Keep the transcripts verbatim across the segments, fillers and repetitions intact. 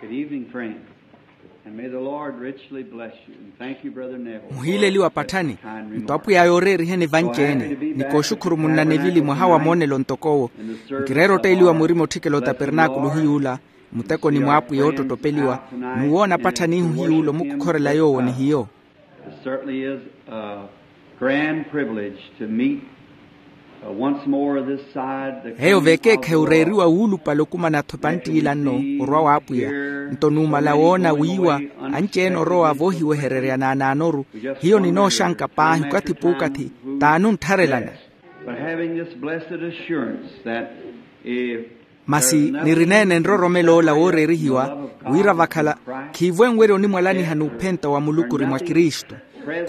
Good evening, friends. And may the Lord richly bless you. And thank you, Brother Neville, muhiileliwa patthani. Nto apwiya yooreeriheni vanci-ene. Nikooxukhuru munna nevili mwaha wa moonelo ntok'owo. Nkireera otteeliwa murima otthikela otapernaakulu hiy'ula, muteko ni mwaapwiya oottottopeliwa. N'uwoona patthanihu hiy'ula omukukhorela yoowo ni hiyo. It certainly is a grand privilege to meet, uh, once more this side the eyo veekeekhayi oreeriwa wuulupale okumana-tho epantt'ila nno orwa w'apwiya. Nto numala woona wiiwa anci-ene orowa voohiwehererya naanaanoru, hiyo ninooxanka paahi okathi p'ukathi t'anuntharelana. But having this blessed assurance that if masi nirineene nroromelo ola wooreerihiwa wira vakhala khiivo enwerya onimwalaniha n'uphenta wa muluku ori mwa kristu.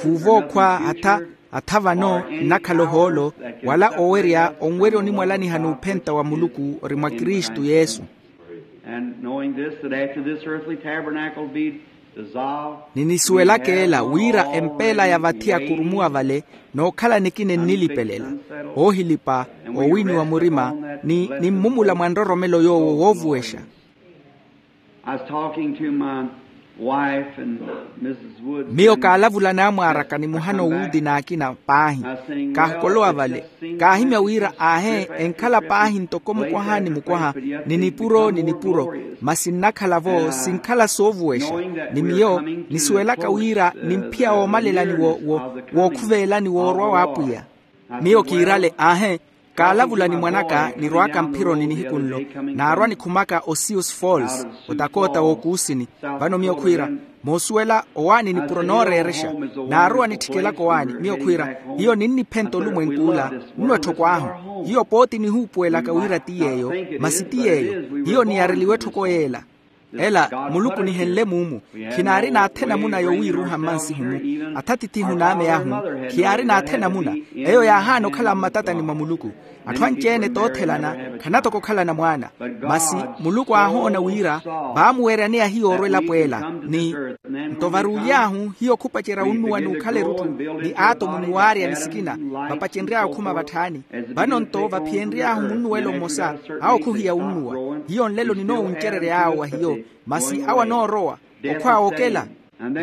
Khuuvo okhwa atha atha vano nnakhala ohoolo wala owerya onwerya onimwalaniha n'uphenta wa muluku ori mwa kristu yesu. And knowing this, that after this earthly tabernacle be dissolved, ninisuwelaka ela wira empeela ya vathi ya kurumuwa vale nookhala nikina ennilipelela oohilipa oowini wa murima ni nimmumula mwa nroromelo yoowo woovuwexa. I was talking to my wife and Missus Wood. Miyo kaalavula n'amwaaraka ni muhana owuudi n'akina paahi. Kaahokolowa vale kaahimya wira aahe enkhala paahi ntoko mukwaha ni mukwaha ni nipuro ni nipuro. Masi nnakhala-vo sinkhala soovuwexa ni miyo nisuwelaka wira nimphiya woomalelani wo wo wookhuveelani woorwa w'apwiya. Miyo kiirale aahe kaalavula ni mwan'aka nirw'aka mphironi nihiku nlo naarwa nikhumaka osius falls otakoota w'okuusini. Vano miyo khwiira moosuwela owaani nipuro nooreerexa naarowa nitthikelaka owaani miyo khwiira hiyo ninniphenta olumwenk'ula nno etthoko ahu. Hiyo pooti nihuupuwelaka wira ti yeeyo masi ti yeeyo hiyo niyareliwe etthoko yeela. Ela muluku nihenle muumu khinaari n'athe namuna yoowiiruha mmansihu-mu. Atha tithihu n'ame ahu khiyaari n'athe namuna eyo yaahaana okhala mmatatani mwa muluku. Atthu anci-ene toothelana khanatoko okhalana mwaana. Masi muluku aahoona wira vaamuweryaneya hiyo orwa elapo ela ni nto varuuly'ahu hiyo khupacerya unnuwa n'ukhala erutthu ni aatomu ni waarya ni sikina vapacenry'awe okhuma vatthaani. Vano nto vaphiyenry'ahu munnuwelo mmosa awo khuhiya unnuwa. Hiyo nlelo ninoowuncerery'awe wa hiyo masi awo anoorowa okhwaawa okela.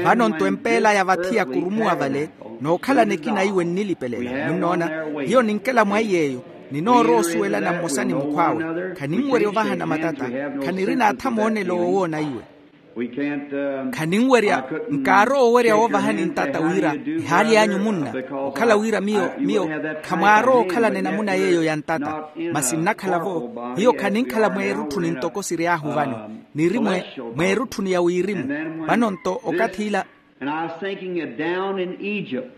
Vano nto empeela ya vathi ya kurumuwa vale nookhalana ekina iwe nnilipelela munnoona. Hiyo ninkela mwa iy'eyo ninoorowa osuwelana mmosa ni mukhw'awe. Khaninwerya ovahana matata khaniri n'atha moonelo woowoona iwe. Khaninwerya nkaarowa owerya woovahani ntata wira ehaali y'anyu munna okhala wira miyo miyo khamwaarowa okhalana enamuna yeeyo ya ntata. Masi nnakhala-vo hiyo khaninkhala mweerutthuni ntoko siry'ahu vano niri mwe mweerutthuni ya wirimu. Vano nto okathi ila. And I was thinking that down in Egypt,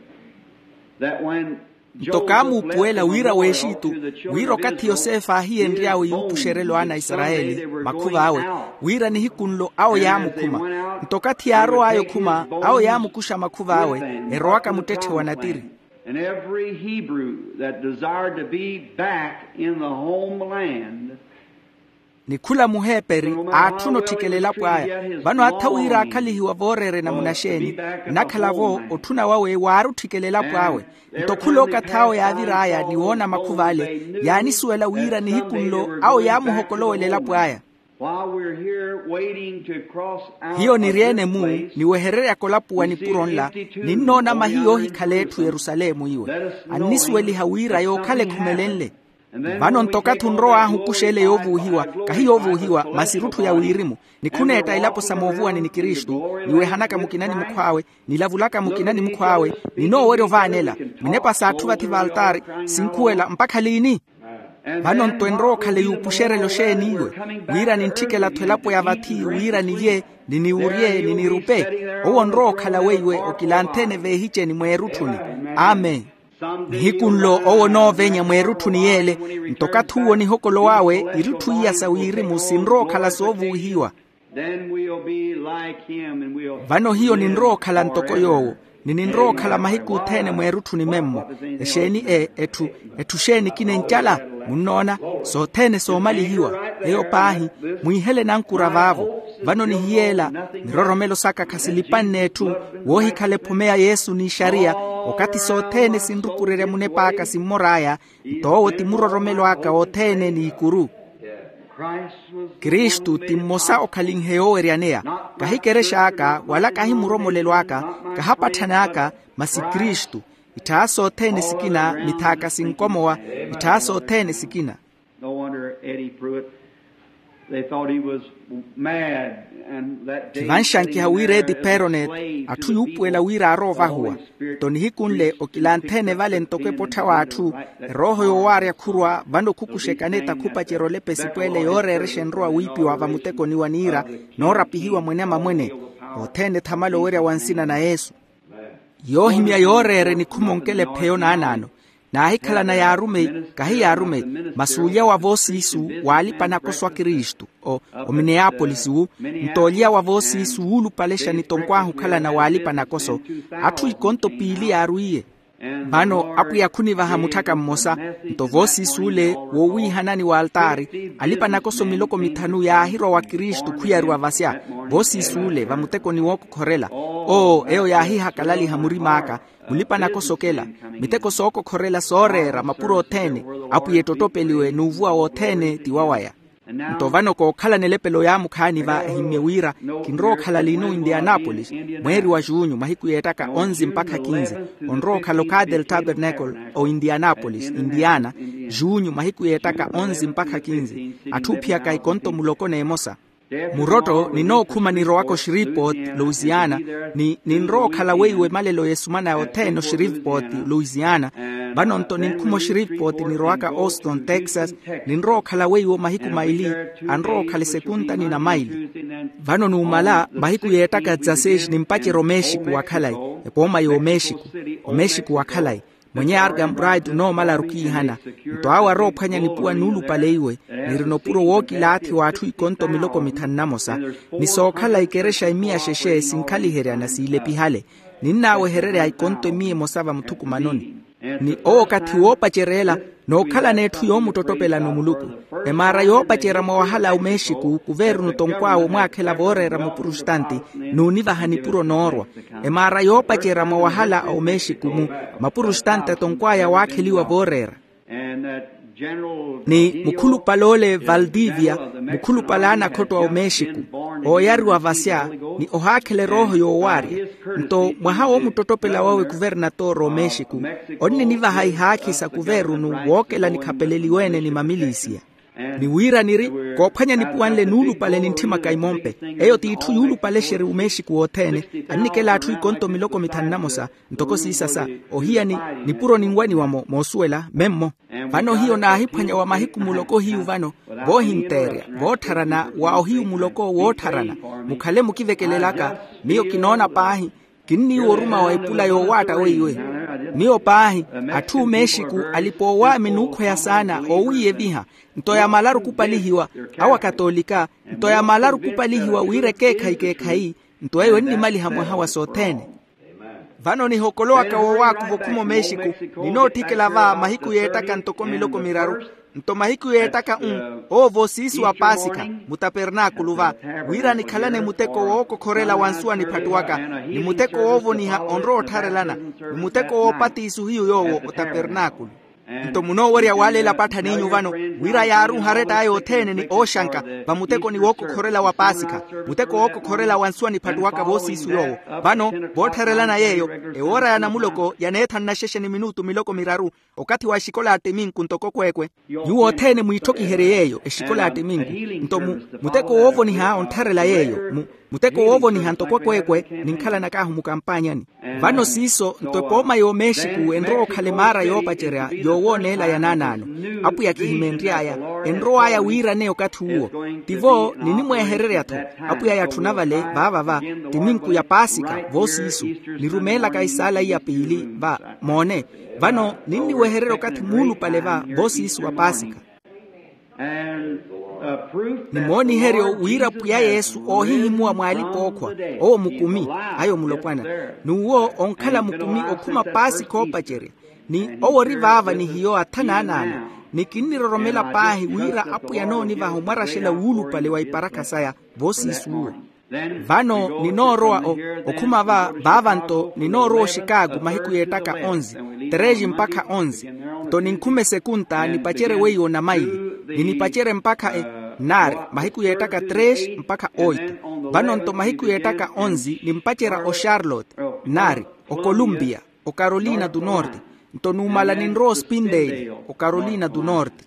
that when nto kaamuupuwela wira w'exitu wira okathi yosefe aahiyenry'awe yuupuxerelo ana a isarayeli makhuv'awe wira nihiku nlo awo yaamukhuma. Nto okathi yaarow'aya okhuma awo yaamukuxa makhuv'awe erowaka muttetthe wa natiri. And every Hebrew that desired to be back in the homeland ni khula muheeperi aatthuna otthikela elapo aya. Vano atha wira aakhalihiwa vooreerena munaxeeni nnakhala-vo otthuna wawe waari otthikela elapo awe. Nto khula okathi awo yaavir'aya ni woona makhuv'ale yaanisuwela wira nihiku nlo awo yaamuhokolowela elapo aya. Hiyo niri-ene-mu niwehereryaka olapuwa nipuro nla ninnoona mahiya oohikhala etthu yerusalemu iwe annisuweliha wira yookhala ekhumelenle. Vano nto okathi onrow'ahu okuxa ele yoovuuhiwa kahi yoovuuhiwa masi erutthu ya wirimu ni khuneetta ilapo sa moovuwani ni kristu niwehanaka mukina ni mukhw'awe nilavulaka mukina ni mukhw'awe ninoowerya ovaanela minepa s'atthu vathi v'altaari sinkhuwela mpakha liini? Vano nto enrowa okhala yuupuxerela oxeeni iwe wira nintthikela-tho elapo ya vathi wira nilye ni niwurye ni nirupe owo onrowa okhala weiwe okilanthene veehiceni mweerutthuni. Amen. Nihiku nlo owo onoovenya mweerutthuni yeele nto okathi uwo nihokolow'awe irutthu iya sa wirimu sinrowa okhala soovuuhiwa. Vano hiyo ninrowa okhala ntoko yoowo ni ninrowa okhala mahiku othene mweerutthuni memmo. Exeeni e etthu etthu xeeni ekina encala? Munnoona sothene soomalihiwa eyo paahi mwiihele nankura vaavo. Vano nihiyeela miroromelo saka khasilipanne etthu woohikhala ephome ya yesu n'ixariya okathi sothene sinrukurerya munep'aka simmor'aya nto owo ti muroromelo aka othene n'ikuru. Kristu ti mmosa okhalinhe yooweryaneya. Kahi kerex'aka wala kahi muromolelo aka, kahapatthan'aka, masi kristu. Itthawa sothene sikina mithaaka sinkomowa. Itthawa sothene sikina. No wonder Eddie Pruitt, they thought he was mad. And that day khivanxankiha wira edi peronet, atthu yuupuwela wira aarowa ovahuwa. Nto nihiku nle okilanthene vale ntoko epottha w'atthu, erooho yoowaarya khurwa vano khukuxekane takhupacerya olepesi pwele yooreerexa enrowa wiipiwa vamutekoni wa niira, noorapihiwa mwene amamwene. Othene thamala owerya wa nsina na yesu. Yoohimya yooreera enikhuma onkela epheyo naanaano. Naahikhalana yaarumeyi, kahi yaarumeyi, masi olya wa voosiisu, waalipa nakoso a kristu, o omineyaapolisi wu. Nto olya wa voosiisu wuulupalexa ni tonkwaahu okhalana waalipa nakoso. Atthu ikonto piili yaarwiiye. Vano apwiya khunivaha mutthaka mmosa. Nto voosiisu ole, woowiihanani w'altaari, alipa nakoso miloko mithanu yaahirwa wa kristu khuyariwa vasya. Voosiisu ole vamutekoni wookokhorela, oo eyo yaahihakalaliha murim'aka. Mulipa-nakosokela, miteko sookokhorela sooreera mapuro othene. Apwiya ettottopeliwe n'uvuwa wothene ti wawaya. Nto vano kookhalana elepelo yaamukhaani va ehimmye wira, kinrowa okhala lino indianapolis, mweeri wa junyu mahiku yeettaka onze mpakha kinze. Onrowa okhala okaate el tabernacle, o indianapolis indiana, junyu mahiku yeettaka onze mpakha kinze. Atthu oophiyaka ikonto muloko n'emosa. Murotto ninookhuma nirowaka oshiripot, louisiana. Ni ninrowa okhala weiwo emalelo y'esumanaya othene oshiripot, louisiana. Vano nto ninkhuma oshiripot nirowaka auston texas. Ninrowa okhala weiwo mahiku maili. Anrowa okhala esekunta ni namaili. Vano numala mahiku yeettaka dzaseis nimpacerya omexico wa khalayi, epooma y'omexico, omexico wa khalayi. Mwenye arkham bright onoomalaru okiihana. Nto awo aroophwanya nipuwa nuulupale iwe, nirina opuro wookilaathi w'atthu ikonto miloko mithanu na mosa. Ni sookhala ikerexa imiya xexe sinkhaliheryana siilepihale. Ninnaawehererya ikonto imiya emosa vamuthukumanoni. Ni owo okathi woopacerya ela, nookhalana etthu yoomuttottopelani omuluku. Emaara yoopacerya mwawahala a omexico kuveerunu tonkw'awe omwaakhela vooreera mupurustanti, nuunivaha nipuro noorwa. Emaara yoopacerya mwawahala a omexico-mu, mapurustanti atonkw'aya waakheliwa vooreera. Ni mukhulupale ole valdivia, mukhulupale a anakhotto a omexico, ooyariwa vasya, ni ohaakhela erooho yoowaarya. Nto mwaha woomuttottopela wawe kuvernatoro omexico, onninivaha ihaakhi sa kuvernu wookela nikhapeleliwe-ene ni mamilisiya. Ni wira niri, koophwanya nipuwa nle nuulupale nintthimaka imompe. Eyo t'itthu yuulupalexerya omexico wothene. Annikela atthu ikonto miloko mithanu na mosa, ntoko siisasa, ohiyani, nipuro ninwaniwa-mo moosuwela memmo. Vano hiyo naahiphwanya wa mahiku muloko hiyu vano, voohinteerya, voottharana wa ohiyu muloko woottharana. Mukhale mukivekelelaka. Miyo kinoona paahi, kinniiwa oruma wa epula yoowaatta weiwe. Miyo paahi, atthu omexico alipa oowaami nuukhweya saana oowiiyeviha. Nto yamalaru kupalihiwa, awo akatolika, nto yamalaru kupalihiwa wira ekeekhayi keekhayi. Nto eyo ennimaliha mwaha wa sothene. Vano nihokolowaka woowaakuva okhuma omexico, ninootthikela va mahiku yeettaka ntoko miloko miraru. Nto mahiku yeettaka-u, owo voosiisu wa paasikha, mutapernakulu va, wira nikhalane muteko wookokhorela wa nsuwa niphattuwaka, ni muteko woovoniha onrowa ottharelana, ni muteko woopatiisu hiyu yoowo otapernakulu. Nto munoowerya waaleela patthaniinyu vano, wira yaaruuha aretta aya othene ni ooxanka, vamutekoni wookokhorela wa paasikha, muteko wookokhorela wa nsuwa niphattuwaka voosiisu yoowo. Vano, voottharelana yeeyo, ewoora ya namuloko yaneethanu na xexe ni minutu miloko miraru, okathi wa exikola ya ttiminku ntoko kweekwe. Nyuwo othene mwiitthokiherye yeeyo exikola ya ttiminku. Nto mu muteko woovoniha onttharela yeeyo, mu muteko woovoniha ntoko kweekwe, ninkhalanakahu mukampaanyani. Vano siiso nto epooma y'omexico enrowa okhala emaara yoopacerya yoowooneela ya naanaano. Apwiya kihimeenry'aya, enrow'aya wiiraneya okathi uwo. Tivo ninimweehererya-tho. Apwiya yatthuna vale vaava va ttiminku ya paasikha voosiisu, nirumeelaka isaala iya piili va, moone. Vano ninniwehererya okathi muulupale va voosiisu wa paasikha. Ni mooniheryo wira pwiya yesu oohihimuwa mw'alipa-ookhwa, owo mukumi, ayo mulopwana. N'uwo onkhala mukumi okhuma paasi khoopacerya. Ni owo ori vaava ni hiyo athanaanaano. Ni kinniroromela paahi wira apwiya anoonivaha omwaraxela wuulupale wa iparakha saya voosiisu uwo. Vano ninoorowa okhuma va vaava nto ninoorowa oxikaaku mahiku yeettaka onze, tereji mpakha onze. Nto ninkhume sekunta nipacerye weiwo namaili, ni nipacerye mpakha Nnaari, mahiku yeettaka tres mpakha oito. Vano-nto mahiku yeettaka onzi nimpacerya ocharlotte, nnaari, okolumpiya, ocarolina tu norte. Nto numala ninrowa ospinteili, ocarolina tu norte.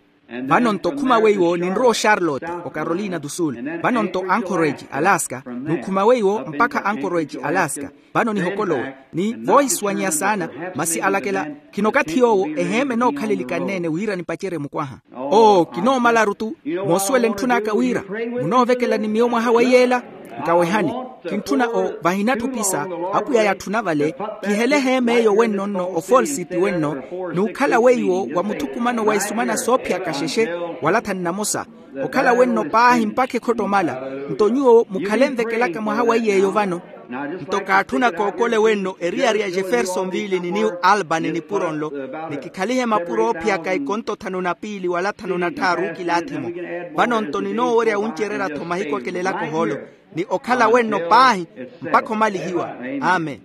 Vano-nto khuma weiwo ninrowa ocharlotte, ocarolina tu sul. Vano-nto anchorage, alaska. Nukhuma weiwo mpakha anchorage, alaska. Vano nihokolowe ni voohisuwanyeya saana. Masi alakela, khinokathi yoowo eheema enookhalelikanne-ene wira nipacerye mukwaha. Oo kinoomalaru-tu. Moosuwela entthun'aka wira munoovekela ni miyo mwaha wa iyeela. Nkawehani, kintthuna o vahinatthu opisa. Apwiya yatthuna vale, kihele eheema eyo wenno nno ofolsiti wenno, n'ukhala weiwo wa muthukumano wa isumana soophiyaka xexe wala thanu namosa. Okhala wenno paahi mpakha ekhottomala. Nto nyuwo mukhale nvekelaka mwaha wa iy'eyo vano. Nto kaatthuna kookole wenno eriyari ya jeffersonville ni new albany nipuro nlo, ni kikhalihe mapuro oophiyaka ikonto thanu na piili wala thanu na tthaaru kilaathi-mo. Vano-nto ninoowerya wuncererya-tho mahiku akelelaka ohoolo, ni okhala wenno paahi mpakha omalihiwa. Amen.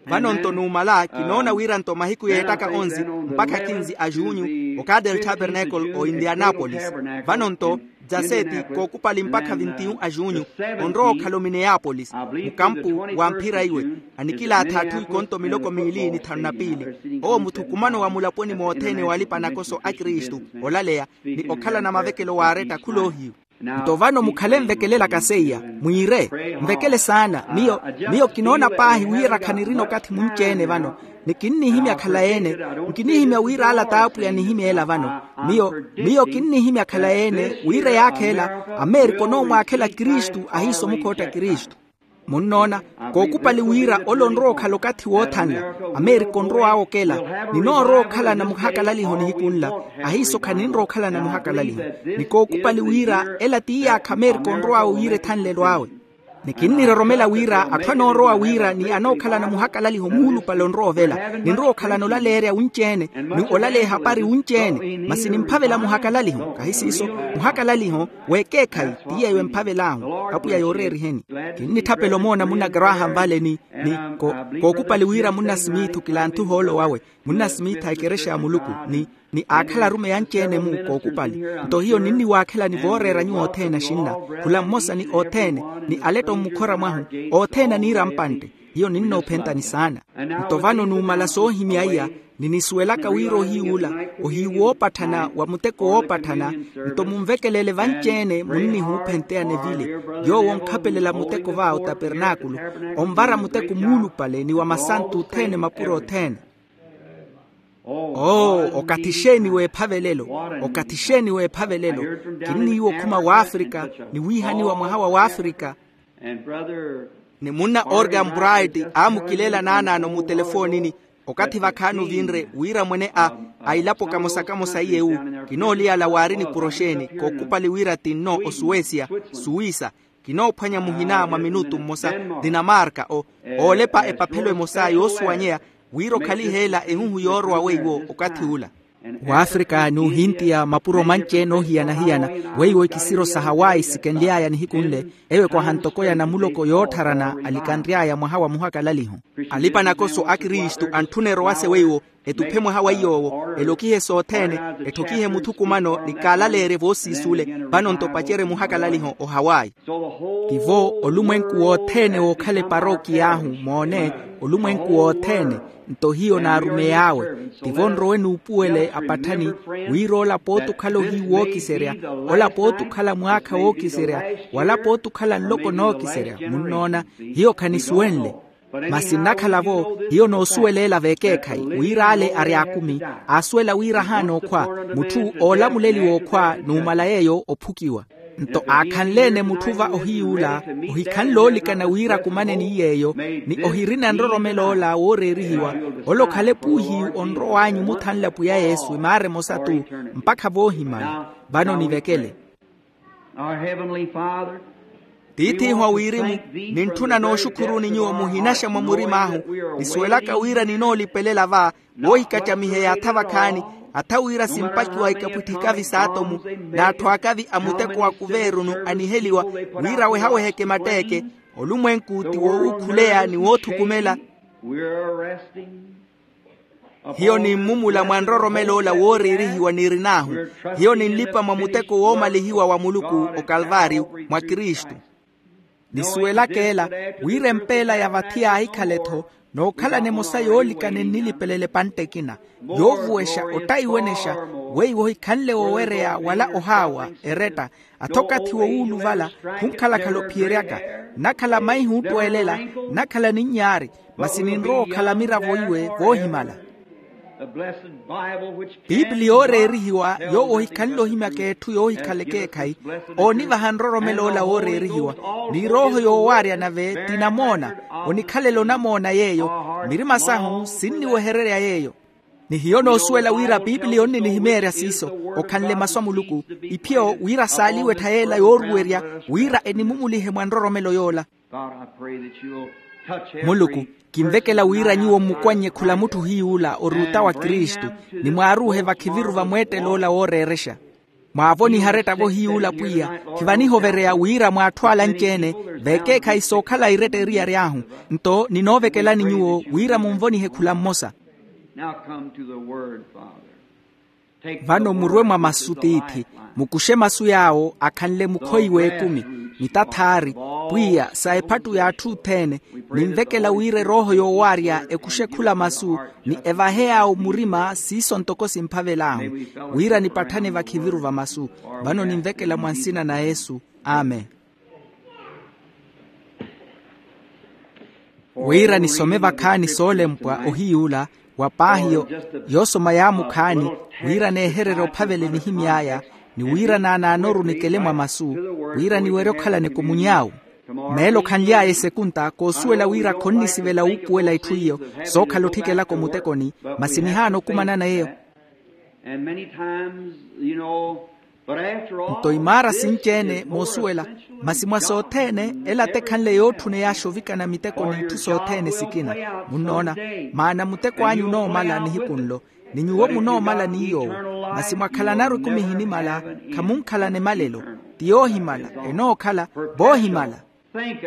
Vano-nto numala kinoona wira-nto mahiku yeettaka onzi mpakha kinzi a junyu, o cadel tabernacle o indianapolis. Vano-nto dzaseeti kookupali mpakha vintiyu a junyu, onrowa okhala omineyapolis, mukampu wa mphira iwe, anikilaatha atthu ikonto miloko miili ni thanu na piili. Owo muthukumano wa mulaponi mothene walipa nakoso a kristu, olaleya ni okhalana mavekelo waaretta khula ohiyu. Nto vano mukhale nvekelelaka seiya, mwiire, nvekele saana. Miyo miyo kinoona paahi wira khanirina okathi munci-ene vano, ni kinnihimya khalayi-ene. Nkinihimya wira ala t'apwiya anihimya ela vano. Miyo miyo kinnihimya khalayi-ene wira eyaakha ela, ameerika onoomwaakhela kristu ahiiso mukhootta kristu. Munnoona, kookupali wira ole onrowa okhala okathi woothanla, ameerika onrow'awe okela, ninoorowa okhalana muhakalaliho nihiku nla, ahiiso khaninrowa okhalana muhakalaliho. Ni kookupali wira ela ti iyaakha ameerika onrow'awe wira ethanlelo awe. Ni kinniroromela wira atthu anoorowa wira ni anookhalana muhakalaliho muulupale onrowa ovela, ninrowa okhalana olaleerya wunci-ene, ni olaleya ehapari wunci-ene, masi nimphavela muhakalaliho kahi siiso, muhakalaliho w'ekeekhayi. Ti yeeyo emphavel'ahu. Apwiya yooreeriheni. Kinnitthapela omoona munna graham vale ni ni kookupali wira munna simiithu kilanthe ohoolo wawe, munna simiitha ekerexa ya muluku, ni ni aakhala arumeyi anci-ene-mu kookupali. Nto hiyo ninniwaakhelani vooreera nyuwo othene axinna, khula mmosa ni othene, ni aletto mmukhora mwahu, othene aniira mpantte. Hiyo ninnoophentani saana. Nto vano numala soohimya iya, ninisuwelaka wira ohiy'ula ohiyu woopatthana wa muteko woopatthana. Nto munvekelele vanci-ene munnihuuphenteya nevile, yoowo onkhapelela muteko va otapernaakulu, onvara muteko muulupale ni wa masantu othene mapuro othene. Oo, okathi xeeni w'ephavelelo, okathi xeeni w'ephavelelo. Kinniiwa okhuma w'afrika, ni wiihaniwa mwaha wa w'afrika. Ni munna organ bright aamukileela naanaano mutelefoonini, okathi vakhaani ovinre wira mwene a a ilapo kamosa-kamosa iye wu, kinooliyala waari nipuro xeeni kookupali wira ti nno osuwesia, suwisa, kinoophwanya muhina mwa minutu mmosa, dinamarka o oolepa epaphelo emosa yoosuwanyeya, wira okhaliheela ehuhu yoorowa weiwo okathi ula. W'afrika n'uhintiya mapuro manci-ene oohiyana-hiyana, weiwo ikisiro sa hawayi sikenly'aya nihiku nle, eyo ekwaha ntoko ya namuloko yoottharana alikanry'aya mwaha wa muhakalaliho. Alipa-nakoso a kristu antthuna erowase weiwo, etuphe mwaha wa iy'owo, elokihe sothene, etthokihe muthukumano ni kaalaleerye voosiisule. Vano-nto pacerye muhakalaliho ohawayi. Tivo olumwenku wothene wookhala eparokiy'ahu moone, olumwenku wothene. Nto hiyo naarumey'awe, tivo nrowe nuupuwele apatthani, wira ola pooti okhala ohiyu wookiserya, ola pooti okhala mwaakha wookiserya, wala pooti okhala nloko nookiserya. Munnoona, hiyo khanisuwenle. Masi nnakhala-vo hiyo noosuweleela v'ekeekhayi wira ale ari akumi, aasuwela wira ahaana okhwa, mutthu oolamuleliwa okhwa numala yeeyo ophukiwa. Nto aakhanle-ene mutthu va ohiy'ula, ohikhanle oolikana wira akumane ni yeeyo, ni ohirina nroromelo ola wooreerihiwa, ole okhale puuhiyu onrow'anyu omuthanla pwiya yesu emaara emosa-tu, mpakha voohimana. Vano nivekele. Our Heavenly Father, tiith'ihu a wirimu, nintthuna nooxukhuruni nyuwo muhinaxa mwa murim'ahu, nisuwelaka wira ninoolipelela va, woohikacamiheya atha vakhaani, atha wira simpakiwa ikapwitthikavi s'atomu, n'atthu akavi a muteko wa kuveerunu aniheliwa, wira wehaweheke matteeke. Olumwenku ti woowukhuleya ni woothukumela. Hiyo nimmumula mwa nroromelo ola wooreerihiwa niirin'ahu. Hiyo ninlipa mwa muteko woomalihiwa wa muluku okalvaariyu mwa kristu. Nisuwelaka ela wira empeela ya vathi yaahikhala-tho nookhalana emosa yoolikana ennilipelele epantte ekina yoovuwexa ottayiwenexa weiwo ohikhanle woowereya wala ohaawa eretta. Athokathi wowuuluvala khunkhalakhala ophiyeryaka nnakhala maihi oottweelela nnakhala ninyaari masi ninrowa okhala miravo iwe voohimala. Piipili yooreerihiwa yoowo ohikhanle ohimyaka etthu yoohikhala ekeekhayi oonivaha nroromelo ola wooreerihiwa ni erooho yoowaarya nave ti namoona. Onikhalela onamoona yeeyo mirima sahu sinniwehererya yeeyo. Ni hiyo noosuwela wira piipili onninihimyeerya siiso okhanle masu a muluku iphiyo wira saaliwe ettha yeela yooruwerya wira enimumulihe mwa nroromelo yoola. Muluku, kinvekela wira nyuwo mmukwan'ye khula mutthu hiy'ula oruuta wa kristu ni mwaaruuhe vakhiviru va mweettelo ola wooreerexa. Mwaavoniha aretta-vo hiy'ula pwiya khivanihovereya wira mwaatthu ala anci-ene veekeekhayi sookhala iretta eriyari ahu. Nto ninoovekelani nyuwo wira munvonihe khula mmosa. Vano murwe mwa masu tiithi mukuxe masu yaawo akhanle mukhoyi w'ekumi mitathaari pwiya sa ephattu y'atthu othene. Ninvekela wira erooho yoowaarya ekuxe khula masu ni evahe yaawo murima siiso ntoko simphavel'ahu wira nipatthane vakhiviru va masu. Vano ninvekela mwa nsina na yesu. Amen. Wira nisome vakhaani soolempwa ohiy'ula wa paahi yoosoma yaamukhaani wira neehererya ophavela enihimy'aya ni wira naanaanoru nikele mwa masu wira niwerye okhalana ekomuny'awe. Meelo khanly'aya esekunta koosuwela wira khonnisivela wuupuwela itthu iyo sookhala otthikelaka omutekoni. Masi nihaana okumanana eyo. Nto imaara sinci-ene moosuwela masi mwa sothene ela tekhanle yootthuneyaxa ovikana miteko n'itthu sothene sikina. Munnoona maana muteko anyu onoomala nihiku nlo ni nyuwo munoomala ni yoowo. Masi mwakhalanaru ekumi ehinimala khamunkhalana emalelo ti yoohimala enookhala voohimala.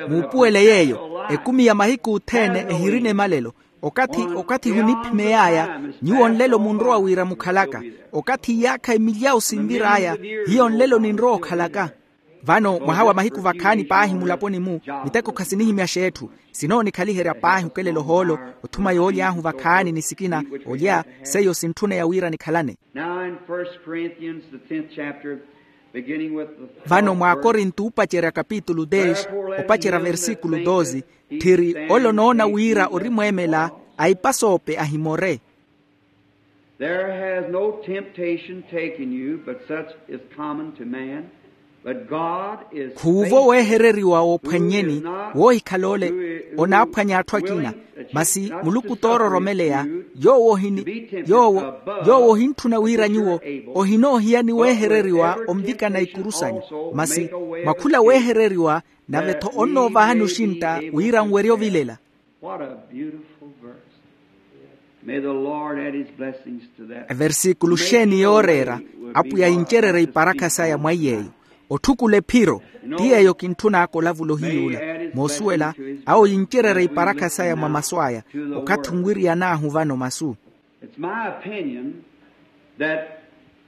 Muupuwele yeeyo ekumi ya mahiku othene ehirina emalelo. Okathi okathi ehuniphimey'aya nyuwo nlelo munrowa wira mukhalaka okathi iyaakha emilyawu sinvir'aya hiyo nlelo ninrowa okhalaka. Vano mwaha wa mahiku vakhaani paahi mulaponi-mu miteko khasinihimyaxa etthu sinoonikhaliherya paahi okelela ohoolo othuma yooly'ahu vakhaani ni sikina olya seiyo sintthuneya wira nikhalane. Vano mwaakorinto oopacerya kapitulu dez opacerya versikulu doze tthiri ole onoona wira ori mweemela a ipasoope ahimore. There has no temptation taken you but such is common to man. Khuuvo weehereriwa woophwannyeni woohikhala ole onaaphwanya atthu akina. Masi muluku toororomeleya yoowo ohini yoowo ohintthuna wira nyuwo ohinoohiya ni weehereriwa onvikana ikuru sanyu. Masi mwa khula weehereriwa nave-tho onnoovahani oxintta wira nwerye ovilela. What a beautiful verse. May the Lord add his blessings to that. Eversiikulu xeeni yooreera apwiya yincererye iparakha saya mwa iy'eyo. Otthukula ephiro ti yeeyo kintthun'aka olavula ohiy'ula moosuwela awo yincererye iparakha saya mwa masu aya. Okathi onwiriyan'ahu vano masu. It's my opinion that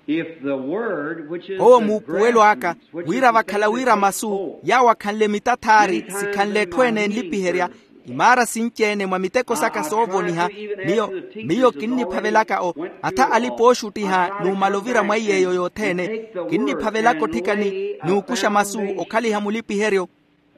if the word which is owo muupuwelo aka wira vakhala wira masu yaawo akhanle mitathaari sikhanle etthu ene enlipiherya imaara sinci-ene mwa miteko saka soovoniha. Miyo miyo kinniphavelaka o atha alipa ooxuttiha numala ovira mwa iy'eyo yothene. Kinniphavelaka otthikani n'ukuxa masu okhaliha mulipiheryo.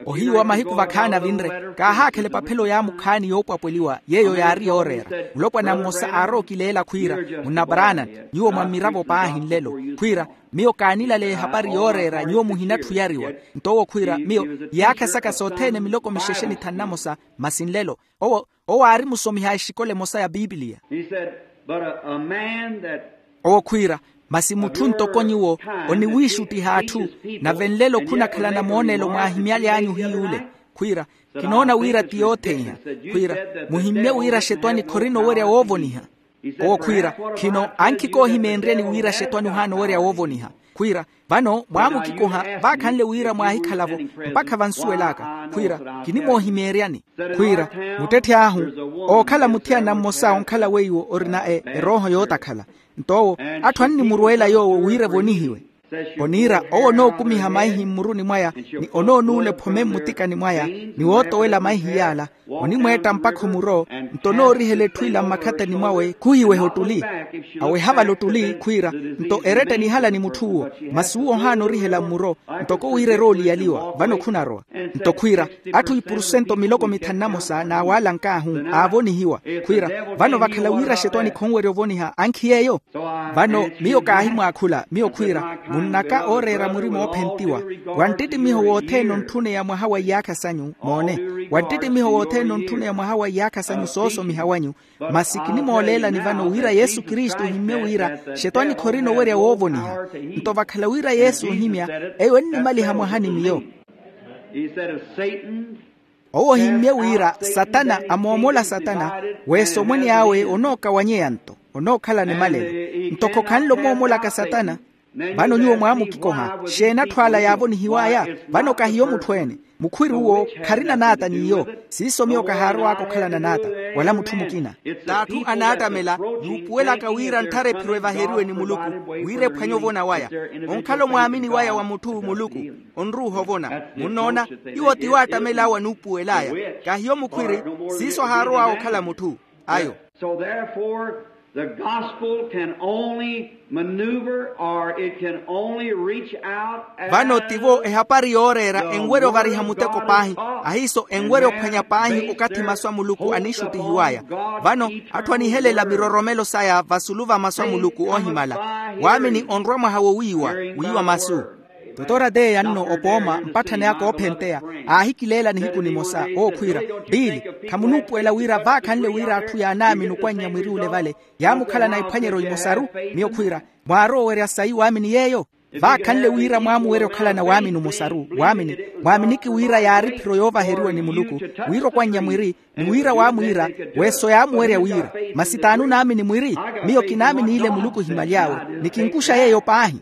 Ohiyu wa mahiku vakhaani avinre kaahaakhela epaphelo yaamukhaani yoopwapweliwa yeeyo yaari yooreera. Mulopwana mmosa aarowa okileela khwiira munnabaraana nyuwo mwa mmiravo paahi nlelo khwiira miyo kaanilaleya ehapari yooreera nyuwo muhinatthuyariwa. Nto owo khwiira miyo iyaakha saka sothene miloko mixexe ni thanu namosa masi nlelo owo owo aari musomiha exikola emosa ya pipiliya. Owo khwiira masi mutthu ntoko nyuwo oniwiixuttiha atthu nave nlelo khunakhalana mooneelo mwaahimyaly'anyu hiy'ule. Khwiira kinoona wira ti yootheiha khwiira muhimmye wira axetwani khorina owerya woovoniha. Owo khwiira, khino ankhi koohimeenryani wira axetwani ohaana owerya woovoniha. Khwiira, vano mwaamukikoha vaakhanle wira mwaahikhala-vo mpakha vansuwel'aka. Khwiira, kinimoohimeenryani. Khwiira, muttetthe ahu ookhala muthiyana mmosa onkhala weiwo orina erooho yootakhala. Nto owo, atthu annimuruwela yoowo wira evonihiwe. Oniira owo onookumiha maihi mmuruni mwaya, ni onoonuula ephome mmutikani mwaya, ni wootowela maihi yaala, onimweetta mpakha omuro. Nto onoorihela etthu ila mmakhatani mwawe khuhiweha ottuli. Aweha vale ottuli khwiira, nto eretta enihala ni mutth'uwo. Masi uwo ohaana orihela mmuro, ntoko wira erooliyaliwa vano khunarowa. Nto khwiira, atthu ipurusento miloko mithanu na mosa n'awaala nkaahu aavonihiwa. Khwiira, vano vakhala wira axetwani khonwerya ovoniha ankhi yeeyo. Vano miyo kaahimwaakhula miyo khwiira, munnaka ooreera murima oophentiwa. Wa nttittimiho wothene ontthuneya mwaha wa iyaakha sanyu moone, wa nttittimiho wothene ontthuneya mwaha wa iyaakha sanyu soosomiha wanyu. Masi kinimooleelani vano wira yesu kristu ohimmye wira, xetwani khorina owerya woovoniha. Nto vakhala wira yesu ohimya, eyo ennimaliha mwaha ni miyo. Owo ohimmye wira satana amoomola satana, weesa omwene awe onookawanyeya nto onookhalana emalelo. Ntoko khanle omoomolaka satana. Vano nyuwo mwaamukikoha, xeeni atthu ala yaavonihiw'aya? Vano kahiyo mutthu-ene. Mukhwiri uwo kharina naata n'iyo. Siiso miyo kahaarow'aka okhalana naata wala mutthu mukina. T'atthu anaattamela yuupuwelaka wira ntthara ephiro evaheriwe ni muluku, wira ephwanye ovona waya. Onkhala omwaamini waya wa mutthu muluku onruuha ovona. Munnoona, iwo ti waattamela awo anuupuwel'aya. Kahiyo mukhwiri. Siiso ahaarow'awe okhala mutthu ayo. So therefore the gospel can only maneuver or it can only reach out. Vano tivo ehapari yooreera enwerya ovariha muteko paahi, ahiiso enwerya ophwanya paahi okathi masu a muluku anixuttihiw'aya. Vano atthu anihelela viroromelo saya vasulu va masu a muluku oohimala. Waamini onrwa mwaha wowiiwa wiiwa masu. Totora teeya nno opooma mpatthani aka oophenteya aahikileela nihiku nimosa owo khwiira, piili, khamunuupuwela wira vaakhanle wira atthu yaanaamini okwannya mwiri ole vale yaamukhalana ephwanyeryo imosaru? Miyo khwiira, mwaarowa owerya sayi waamini yeeyo? Vaakhanle wira mwaamuwerya okhalana waamini omosaru waamini, mwaaminiki wira yaari ephiro yoovaheriwa ni muluku, wira okwannya mwiri ni wira waamwiira, weeso yaamuwerya wira masi t'ani onaamini mwiri? Miyo kinaamini ile muluku ohimaly'awe ni kinkuxa yeeyo paahi.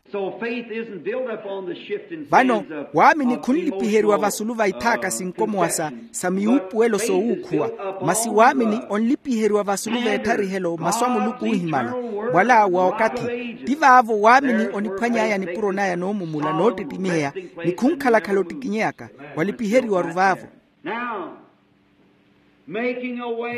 Vano waamini khunlipiheriwa vasulu va ithaaka sinkomowa sa sa miyuupuwelo soowuukhuwa. Masi waamini onlipiheriwa vasulu v'etharihelo masu a muluku oohimala mwala wa okathi. Ti vaavo waamini oniphwany'aya nipuro naya noomumula noottittimiheya ni khunkhalakhala ottikinyeyaka. Walipiheriwa-ru vaavo.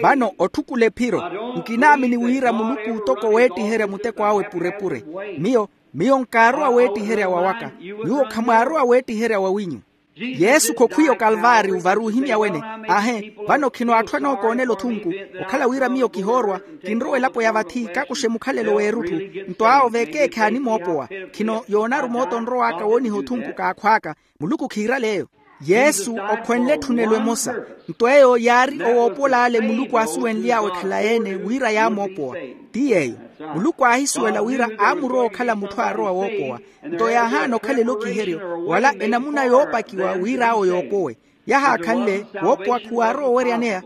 Vano otthukula ephiro, nkinaamini wira muluku otoko weettiherya muteko awe purepure. Miyo miyo nkaarowa weettiherya wawaka. Nyuwo khamwaarowa weettiherya wawinyu. Yesu khokhwiya okalvaariyo vari ohimya wene. Aahe, vano khino atthu anookoonela othunku okhala wira miyo kihoorwa, kinrowa elapo ya vathi kakuxe mukhalelo w'erutthu. Nto awo veekeekhe aanimoopowa. Khino yoonaru mooto onrow'aka wooniha othunku kaakhw'aka. Muluku khiirale eyo. Yesu okhwenle etthunelo emosa. Nto eyo yaari owoopol'ale muluku aasuwenly'awe khalayi-ene wira yaamoopowa. Ti yeeyo, muluku aahisuwela wira aamurowa okhala mutthu aarowa woopowa. Nto yaahaana okhalela okiheryo wala enamuna yoopakiwa wira awo yoopowe. Yahaakhanle woopowa khuwaarowa oweryaneya.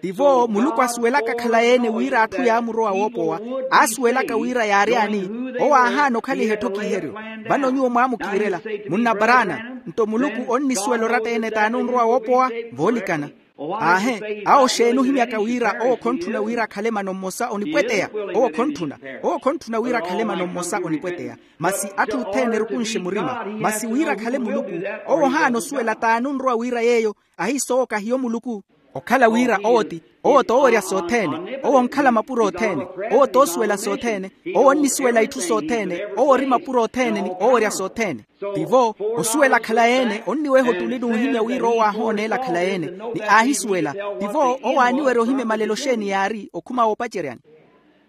Tivo muluku asuwelaka khalayi-ene wira atthu yaamurowa woopowa. Aasuwelaka wira yaaryaani, owo aahaana okhaliha etthu kiheryo. Vano nyuwo mwaamukiirela, munnaparaana. Nto muluku onnisuwela oratta-ene t'ani onrowa woopowa? Voolikana. Aahe, awo xeeni ohimyaka wira owo khonttuna wira akhale mano mmosa onipweteya. Owo khonttuna owo khonttuna wira akhale mano mmosa onipweteya. Masi atthu othene erukunxe murima. Masi wira akhale muluku, owo ohaana osuwela t'ani onrowa wira yeeyo? Ahiiso owo kahiyo muluku. Okhala wira owo ti owo t'owerya sothene. Owo onkhala mapuro othene. Owo t'osuwela sothene. Owo onnisuwela itthu sothene. Owo ori mapuro othene ni owerya sothene. Tivo osuwela khalayi-ene onniweha ottuli n'uhimya wira owo aahooneela khalayi-ene. Ni aahisuwela. Tivo owo aaniwerya ohimya emalelo xeeni yaari okhuma woopaceryani.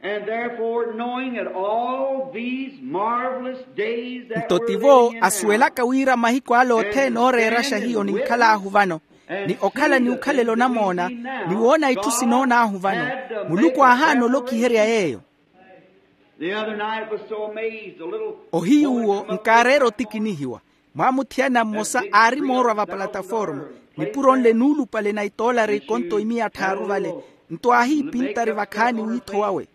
And therefore knowing that all these marvelous days that nto tivo asuwelaka wira mahiku ale othene ooreeraxa hiyo ninkhal'ahu vano, ni okhala ni ukhalela onamoona, ni woona itthu sinoon'ahu vano, muluku aahaana olokiherya yeeyo. The other night was so amazed a little. Ohiyu uwo nkaareera otikinihiwa. Mwaamuthiyana mmosa aari moorwa va palataforma, nipuro nle nuulupale na itoolari ekonto imiya tthaaru vale. Nto aahiipintari vakhaani wiitho wawe.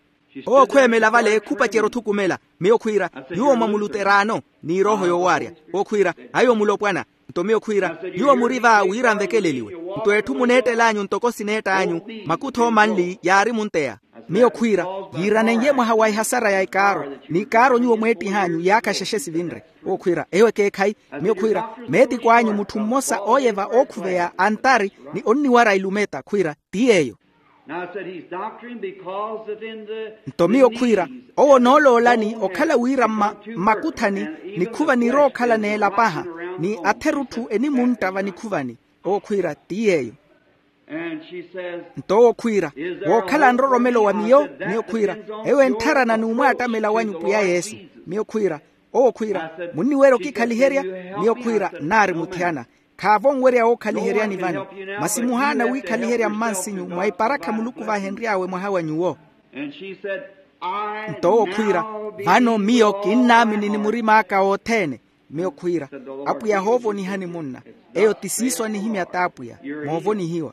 Owo khweemela vale khupacerya othukumela. Miyo khwiira, nyuwo mwa muluteraano, ni erooho yoowaarya. Owo khwiira, aiwo mulopwana. Nto miyo khwiira, nyuwo muri va wira nvekeleliwe. Nto etthu muneettel'anyu ntoko sineett'anyu, makutho manli yaari munteya. Miyo khwiira, yiiranen'ye mwaha wa ehasara ya ekaaro, ni ekaaro nyuwo mweettih'anyu yaakha xexe sivinre. Owo khwiira, eyo ekeekhayi. Miyo khwiira, meetikw'anyu mutthu mmosa ooyeva ookhuveya antari, ni onniwara ilumeta khwiira, ti yeeyo. Now I said he's doctoring because that in the nto miyo khwiira, owo onooloolani okhala wira mma mmakutthani, nikhuva nirookhala n'elapaha, ni atherutthu enimuntta vanikhuvani. Owo khwiira ti yeeyo. Nto owo khwiira, wookhala nroromelo wa miyo. Miyo khwiira, eyo entharana n'umwaattamela wanyu pwiya yesu. Miyo khwiira, owo khwiira, munniwerya okikhaliherya? Miyo khwiira, nnaari muthiyana. Khaavo onwerya wookhaliheryani vano, masi muhaana wiikhaliherya mmansinyu mwa iparakha muluku vaahenry'awe mwaha wa nyuwo. Nto owo khwiira, vano miyo kinnaamini ni murim'aka wothene. Miyo khwiira, apwiya hoovonihani munna. Eyo ti siiso anihimya t'apwiya, moovonihiwa.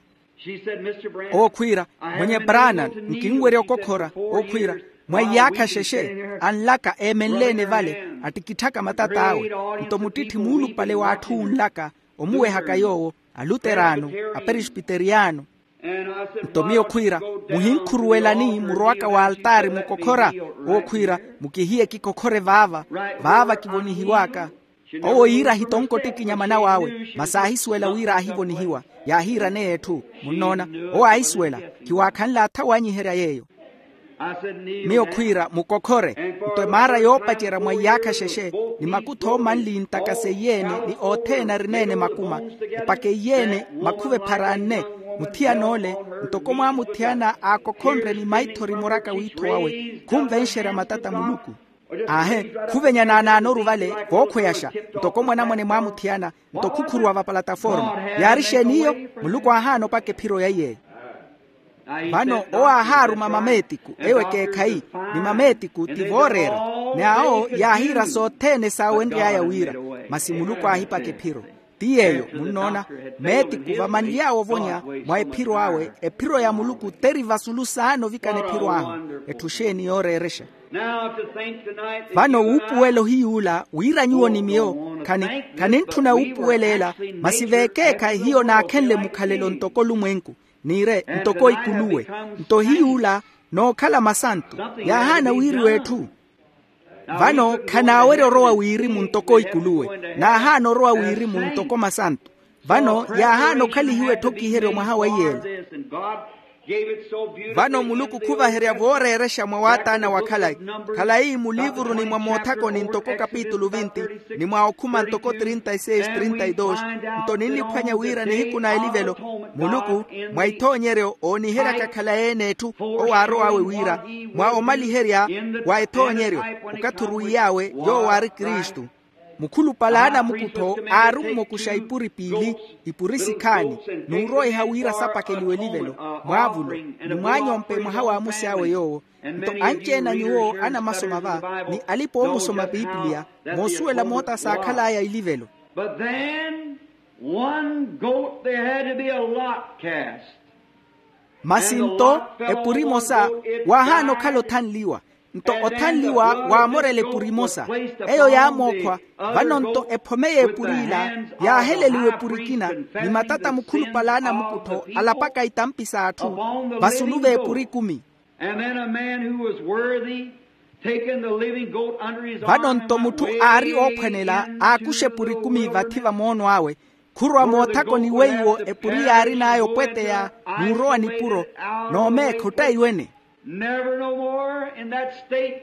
Owo khwiira, mwenye branan, nkinwerya okokhora. Owo khwiira, mwa iyaakha xexe, anlaka eemenle-ene vale, attikitthaka matat'awe. Nto muttitthi muulupale w'atthu unlaka, omuwehaka yoowo, aluteraano, aperisipiteriyano. Nto miyo khwiira, muhinkhuruwelani murowaka wa altaari mukokhora. Owo khwiira, mukihiye kikokhore vaava, vaava kivonihiw'aka. Owo yiira ahitonka ottikinya manaw'awe, masi aahisuwela wira aahivonihiwa. Yaahiiraneya etthu. Munnoona, owo aahisuwela. Khiwaakhanle athawanyiherya yeeyo. Miyo khwiira, mukokhore. Nto emaara yoopacerya mwa iyaakha xexe, ni makutho manli ntakaseiye-ene ni othene arineene makuma, epakeiye-ene makhuva ephara anne. Muthiyan'ole, ntoko mwaamuthiyana aakokhonre ni maithori muraka wiitho wawe, khunvenxerya matata muluku. Aahe, khuvenya naanaanoru vale, vookhweyaxa. Ntoko mwanamwane mwaamuthiyana, nto khukhuruwa va palataforma. Yaari xeeni iyo? Muluku aahaana opaka ephiro ya iy'eyo. Vano owo aahaaruma mameetiku, eyo ekeekhayi, ni mameetiku ti vooreera. Ni awo yaahiira sothene saawenry'aya wira, masi muluku aahipaka ephiro. Ti yeeyo munnoona, meetiku vamanly'awe ovonya mwa ephiro awe. Ephiro ya muluku teri vasulu saana ovikana ephiro ahu. Etthu xeeni yooreerexa? Vano wuupuwela ohiy'ula wira nyuwo ni miyo, khani, khanintthuna wuupuwela ela, masi veekeekhayi hiyo naakhenle mukhalelo ntoko olumwenku, niire ntoko ikuluwe. Nto hiy'ula nookhala masantu, yaahaana wiiriwa etthu. Vano khanaawerya orowa wirimu ntoko ikuluwe, naahaana orowa wirimu ntoko masantu. Vano yaahaana okhalihiwa etthokiheryo mwaha wa iyeela. Vano muluku khuvaherya vooreerexa mwa waataana wa khalayi, khalayi muliivuruni mwa moothakoni ntoko kapitulu vinti, ni mwa okhuma ntoko trinta y seis, trinta y dos. Nto ninniphwanya wira nihiku na elivelo, muluku mwa ithoonyeryo ooniheryaka khalayi-ene etthu owo aarow'awe wira, mwa omaliherya wa ethoonyeryo, okathi orwiiy'awe yoowo aari kristu. Mukhulupale a anamukuttho aari ommokuxa ipuri piili, ipuri sikhaani, n'uroiha wira sapakeliwe elivelo, mwaavulo, ni mwaanyompe mwaha waamusy'awe yoowo. Nto anci-ene a nyuwo anamasoma va, ni alipa-oomusoma piipiliya, moosuwela moota saakhal'aya ilivelo. But then one goat, there had to be a lot cast. Masi nto epuri emosa waahaana okhala othanliwa. Nto othanliwa waamorela epuri emosa, eyo yaamookhwa. Vano nto ephome y'epur'ila yaaheleliwa epuri ekina, ni matata mukhulupale a anamukuttho alapaka itampi s'atthu vasulu v'epuri ekumi. And then a man who was worthy, taking the living goat under his arm. Vano nto mutthu aari oophwanela aakuxa epuri ekumi vathi va moono awe, khurowa moothakoni weiwo epuri yaarin'aya opweteya, n'urowa nipuro, n'omeekha ottaiwene. Never no more in that state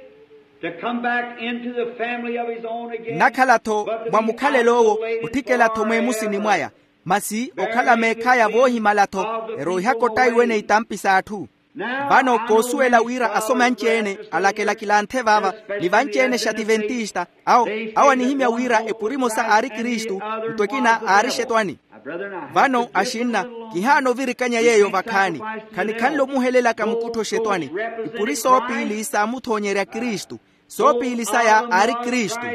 to come back into the family of his own again. Nnakhala-tho mwa mukhalelo owo, otthikela-tho mweemusini mwaya. Masi okhala meekhaya voohimala-tho, eroihaka ottaiwene itampi s'atthu. Vano koosuwela wira asoma anci-ene alakelakilanthe vaava, ni vanci-ene xativentista, awo, awo anihimya wira epuri emosa aari kristu, nto ekina aari xetwani. Vano axinna, kihaana ovirikanya yeeyo vakhaani. Khanikhanle omuhelelaka mukuttho xetwani. Ipuri soopiili saamuthonyerya kristu. Soopiili saya aari kristu.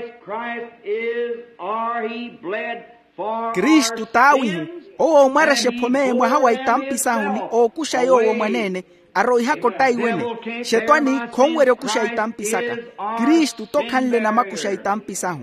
Kristu t'awihu, owo oomwarexa ephome mwaha wa itampi sahu ni ookuxa yoowo mwaneene, Aroihaka ottaiwene. Xetwani khonwerya okuxa itampi saka. Kristu tokhanle namakuxa itampi sahu.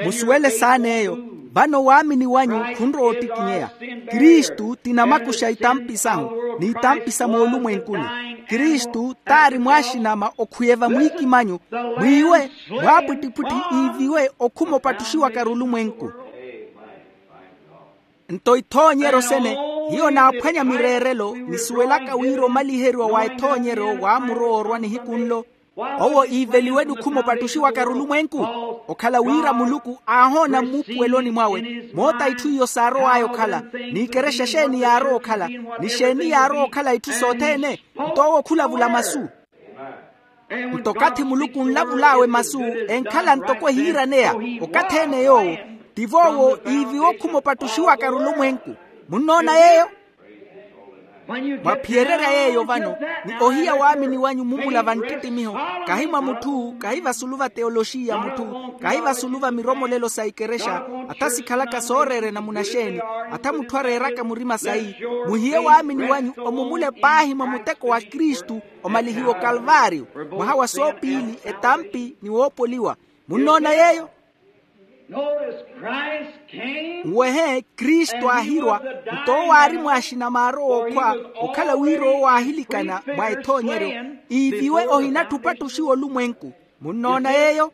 Musuwele saana eyo. Vano waamini wanyu khunrowa ottikinyeya. Kristu ti namakuxa itampi sahu, n'itampi sa moolumwenkuni. Kristu taari mwaaxinama okhwiye vamwiikimanyu, mwiiwe mwaapwittipwitthi iiviwe okhuma opattuxiwaka arulumwenku. Nto ithoonyeryo sene, hiyo naaphwanya mireerelo nisuwelaka wira omaliheriwa wa ethoonyeryo waamurowa orwa nihiku nlo. Owo iiveliweni okhuma opattuxiwaka arulumwenku. Okhala wira muluku aahoona mmuupuweloni mwawe moota itthu iyo saarow'aya okhala, n'ikerexa exeeni yaarowa okhala, ni xeeni yaarowa okhala itthu sothene. Nto owo khulavula masu. Nto okathi muluku onlavul'awe masu enkhala ntoko ehiiraneya, okathi ene yoowo tivo owo iiviwa okhuma opattuxiwaka arulumwenku. Munnoona yeeyo? Mwaphiyererya yeeyo vano, ni ohiya waamini wanyu mumula vanttittimiho, kahi mwa mutthu kahi vasulu va teyoloxiya a mutthu, kahi vasulu va miromolelo sa ikerexa, atha sikhalaka sooreera enamuna xeeni, atha mutthu areeraka murima sayi. Muhiye waamini wanyu omumule paahi mwa muteko wa kristu, omalihiwa okalvaariyo, mwaha wa soopiili etampi ni woopoliwa. Munnoona yeeyo? Notice, Christ came. Nwehe kristu aahirwa, nto owo aari mwaaxina maarowa okhwa okhala wira owo aahilikana mwa ethoonyeryo, iiviwe ohinatthi opattuxiwa olumwenku. Munnoona yeeyo?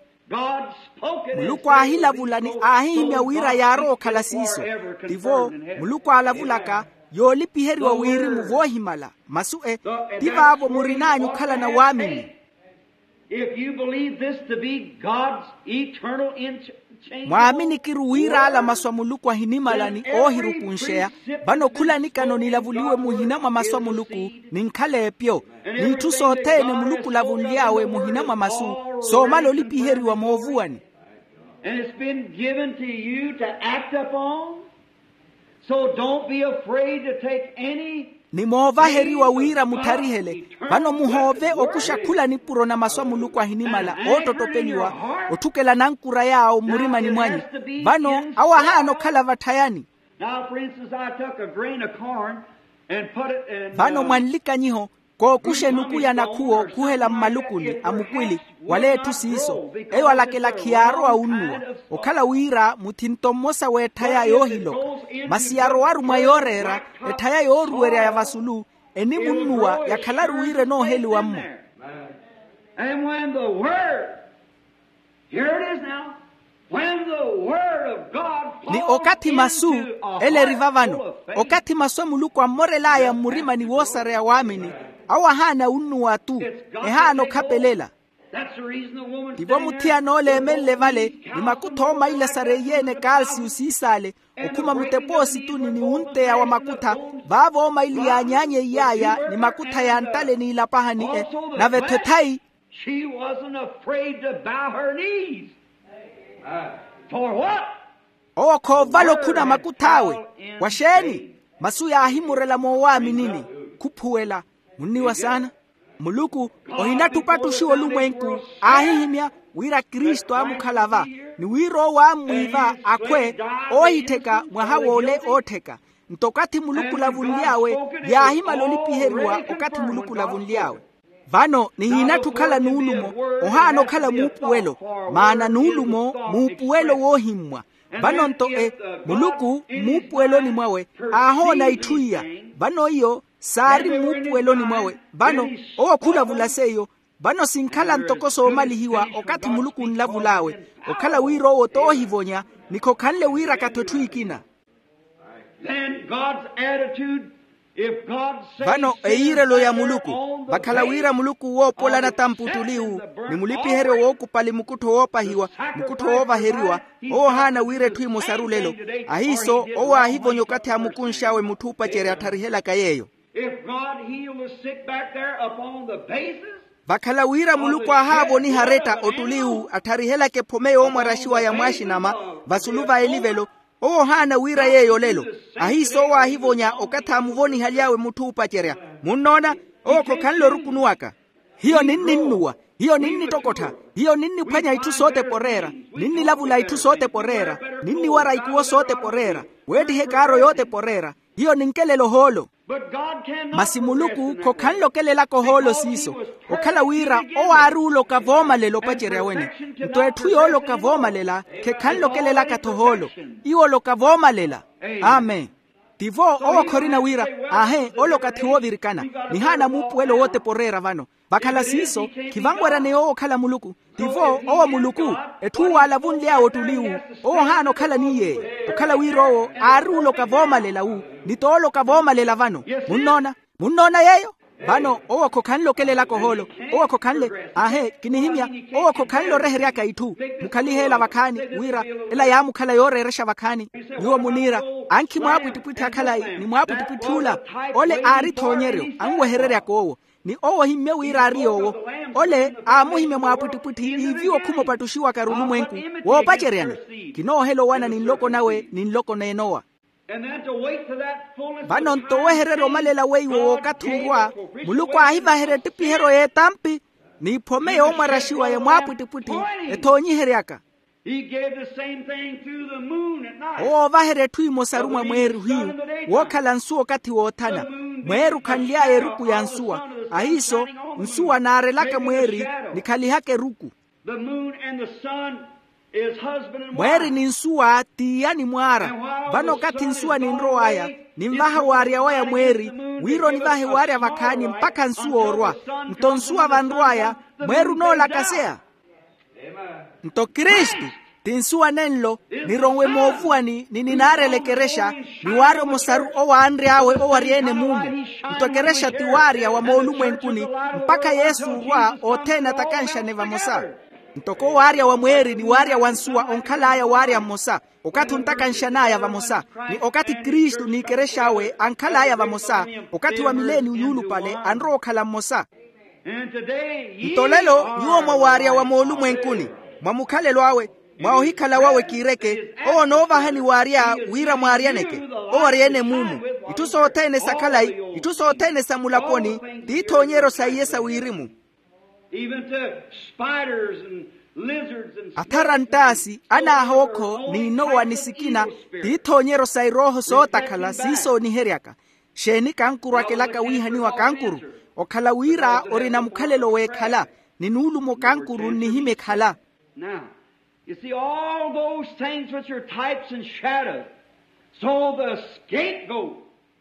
Muluku aahilavula ni aahihimya wira yaarowa okhala siiso. Tivo muluku aalavulaka, yoolipiheriwa wirimu voohimala. Masu e, ti vaavo murin'anyu okhalana waamini. If you believe this to be God's eternal in- change. Mwaaminiki-ru wira ala masu a muluku ahinimala ni oohirukunxeya, vano khula nikano nilavuliwe muhina mwa masu a muluku, ninkhala epyo, n'itthu sothene muluku olavunly'awe muhina mwa masu, soomala olipiheriwa moovuwani. And it's been given to you to act upon. So don't be afraid to take any. Ni moovaheriwa wira mutharihele. Vano muhoove okuxa khula nipuro na masu a muluku ahinimala oottottopeliwa, otthukela nankura yaawo mmurimani mwanyu. Vano awo ahaana okhala vatthayani. Now, for instance, I took a grain of corn and put it in. Vano mwanlikanyiho, kookuxa enuku ya nakhuwo khuhela mmalukuni a mukwili, wala etthu siiso, eyo alakilakhi yaarowa wunnuwa. Okhala wira muthinto mmosa w'etthaya yoohiloka, masi yarowaru mwa yooreera, etthaya yooruwerya ya vasulu, enimunnuwa yakhalaru wira enooheliwa-mmo. And when the word, here it is now, when the word of God ni okathi masu, ele eri vavano, okathi masu a muluku ammorel'aya mmurimani woosareya waamini, awo ahaana wunnuwa-tu, ehaana okhapelela. Tivo muthiyana ole eemenle vale, ni makutha oomaila sareiye-ene kaalsiyu siisaale, okhuma mutepoosituni ni wunteya wa makutha, vaavo oomaili yaanyaanyeiy'aya ni makutha ya ntale n'ilapahani e, nave-tho ethayi. She wasn't afraid to bow her knees. For what? Owo khoovala okhuna makuth'awe. Waxeeni? Masu yaahimurela moowaaminini. Khuphuwela. Munniwa saana. Muluku ohinatthi opattuxiwa olumwenku, aahihimya wira kristu aamukhala va, ni wira owo aammwiiva akhwe oohittheka mwaha w'ole oottheka. Nto okathi muluku olavunly'awe, yaahimala olipiheriwa okathi muluku olavunly'awe. Vano nihiinatthi okhala nuulumo, ohaana okhala muupuwelo, maana nuulumo muupuwelo woohimmwa. Vano nto e, muluku mmuupuweloni mwawe aahoona itthu iya. Vano iyo saari mmuupuweloni mwawe. Vano owo khulavula seiyo. Vano sinkhala ntoko soomalihiwa okathi muluku onlavul'awe, okhala wira owo t'ohivonya, ni khokhanle wiiraka-tho etthu ekina. Then God's attitude, if God says vano eyiirelo ya muluku, vakhala wira muluku woopola natamputtuli-wu, ni mulipiheryo wookupali mukuttho woopahiwa, mukuttho woovaheriwa, owo ohaana wira etthu emosaru lelo. Ahiiso owo aahivonya okathi aamukunx'awe mutthu oopacerya attharihelaka yeeyo. If God healed the sick back there upon the basis. Vakhala wira muluku aahaavoniha aretta ottuli-wu attharihelaka ephome yoomwaraxiwa ya mwaaxinama, vasulu va elivelo, owo ohaana wira yeeyo olelo. Ahiiso owo aahivonya okathi aamuvonihaly'awe mutthu oopacerya. Munnoona? Owo khokhanle orukunuwaka. Hiyo ninninnuwa. Hiyo ninnittokottha. Hiyo ninniphwanya itthu sootepa oreera. Ninnilavula itthu sootepa oreera. Ninniwara ikuwo sootepa oreera. Weettiha ekaaro yootepa oreera. Hiyo ninkelela ohoolo. Masi muluku khokhanle okelelaka ohoolo siiso, okhala wira owo aari oloka voomalela opacerya wene. Nto etthu yooloka voomalela khekhanlokelelaka-tho ohoolo. Iwo oloka voomalela. Amen. Tivo owo khorina wira, aahe, oloka thiwoovirikana. Nihaana muupuwelo wootepa oreera vano. Vakhala siiso, khivanweryaneya owo okhala muluku. Tivo owo muluku, etthu uwo alavunly'awe ottuli wu. Owo ohaana okhala ni yeeyo, okhala wira owo aari oloka voomalela wu, ni tooloka voomalela vano. Munnoona? Munnoona yeeyo? Vano owo khokhanle okelelaka ohoolo. Owo khokhanle. Aahe, kinihimya. Owo khokhanle oreheryaka itthu. Mukhalihe ela vakhaani, wira ela yaamukhala yooreerexa vakhaani. Nyuwo muniira, ankhi mwaapwittipwitthi akhalayi ni mwaapwittipwitthi ula. Ole aari ethoonyeryo, anwehereryaka owo. Ni owo ohimmye wira aari yoowo. Ole aamuhimya mwaapwittipwitthi iiviwa okhuma opattuxiwaka-ru olumwenku, woopaceryani. Kinoohela owana ni nloko nawe ni nloko n'enowa. Vano nto owehererya omalela weiwo w'okathi orwa, muluku aahivaherya ettipiheryo y'etampi n'iphome yoomwaraxiwa ya mwaapwittipwitthi, ethoonyiheryaka. Owo oovaherya etthu emosaru mwa mweeri ohiyu, wookhala nsuwa okathi woothana. Mweeri okhanly'aya eruku ya nsuwa. Ahiiso, nsuwa naarelaka mweeri, nikhalihaka eruku. Mweeri ni nsuwa t'iya ni mwaara. Vano okathi nsuwa ninrow'aya, ninvaha waarya waya mweeri, wira onivahe waarya vakhaani mpakha nsuwa orwa. Nto nsuwa vanrw'aya, mweeri onoolakaseya. Nto kristu ti nsuwa nenlo, nironwe moovuwani ni ninaarela ekerexa, ni waarya omosaru owo aanry'awe owarya-ene mumu. Nto ekerexa ti waarya wa moolumwenkuni, mpakha yesu orwa othene atakanxane vamosa. Ntoko waarya wa mweeri ni waarya wa nsuwa onkhal'aya waarya mmosa, okathi ontakanxan'aya vamosa, ni okathi kristu n'ekerex'awe ankhal'aya vamosa, okathi wa mileniyo yuulupale anrowa okhala mmosa. Nto lelo, nyuwo mwa waarya wa moolumwenkuni, mwa mukhalelo awe, mwa ohikhala wawe kiireke, owo onoovahani waarya wira mwaaryaneke, owarya-ene mumu. Itthu sothene sa khalayi, itthu sothene sa mulaponi, t'ithoonyeryo sa iye sa wirimu. Athara nttaasi, anaahookho, n'inowa ni sikina, t'ithoonyeryo sa erooho sootakhala siisooniheryaka. Xeeni kankuru akelaka wiihaniwa kankuru? Okhala wira orina mukhalelo w'ekhala, ni nuulumo kankuru nnihimya ekhala. Now, you see, all those things which are types and shadows. So the scapegoat.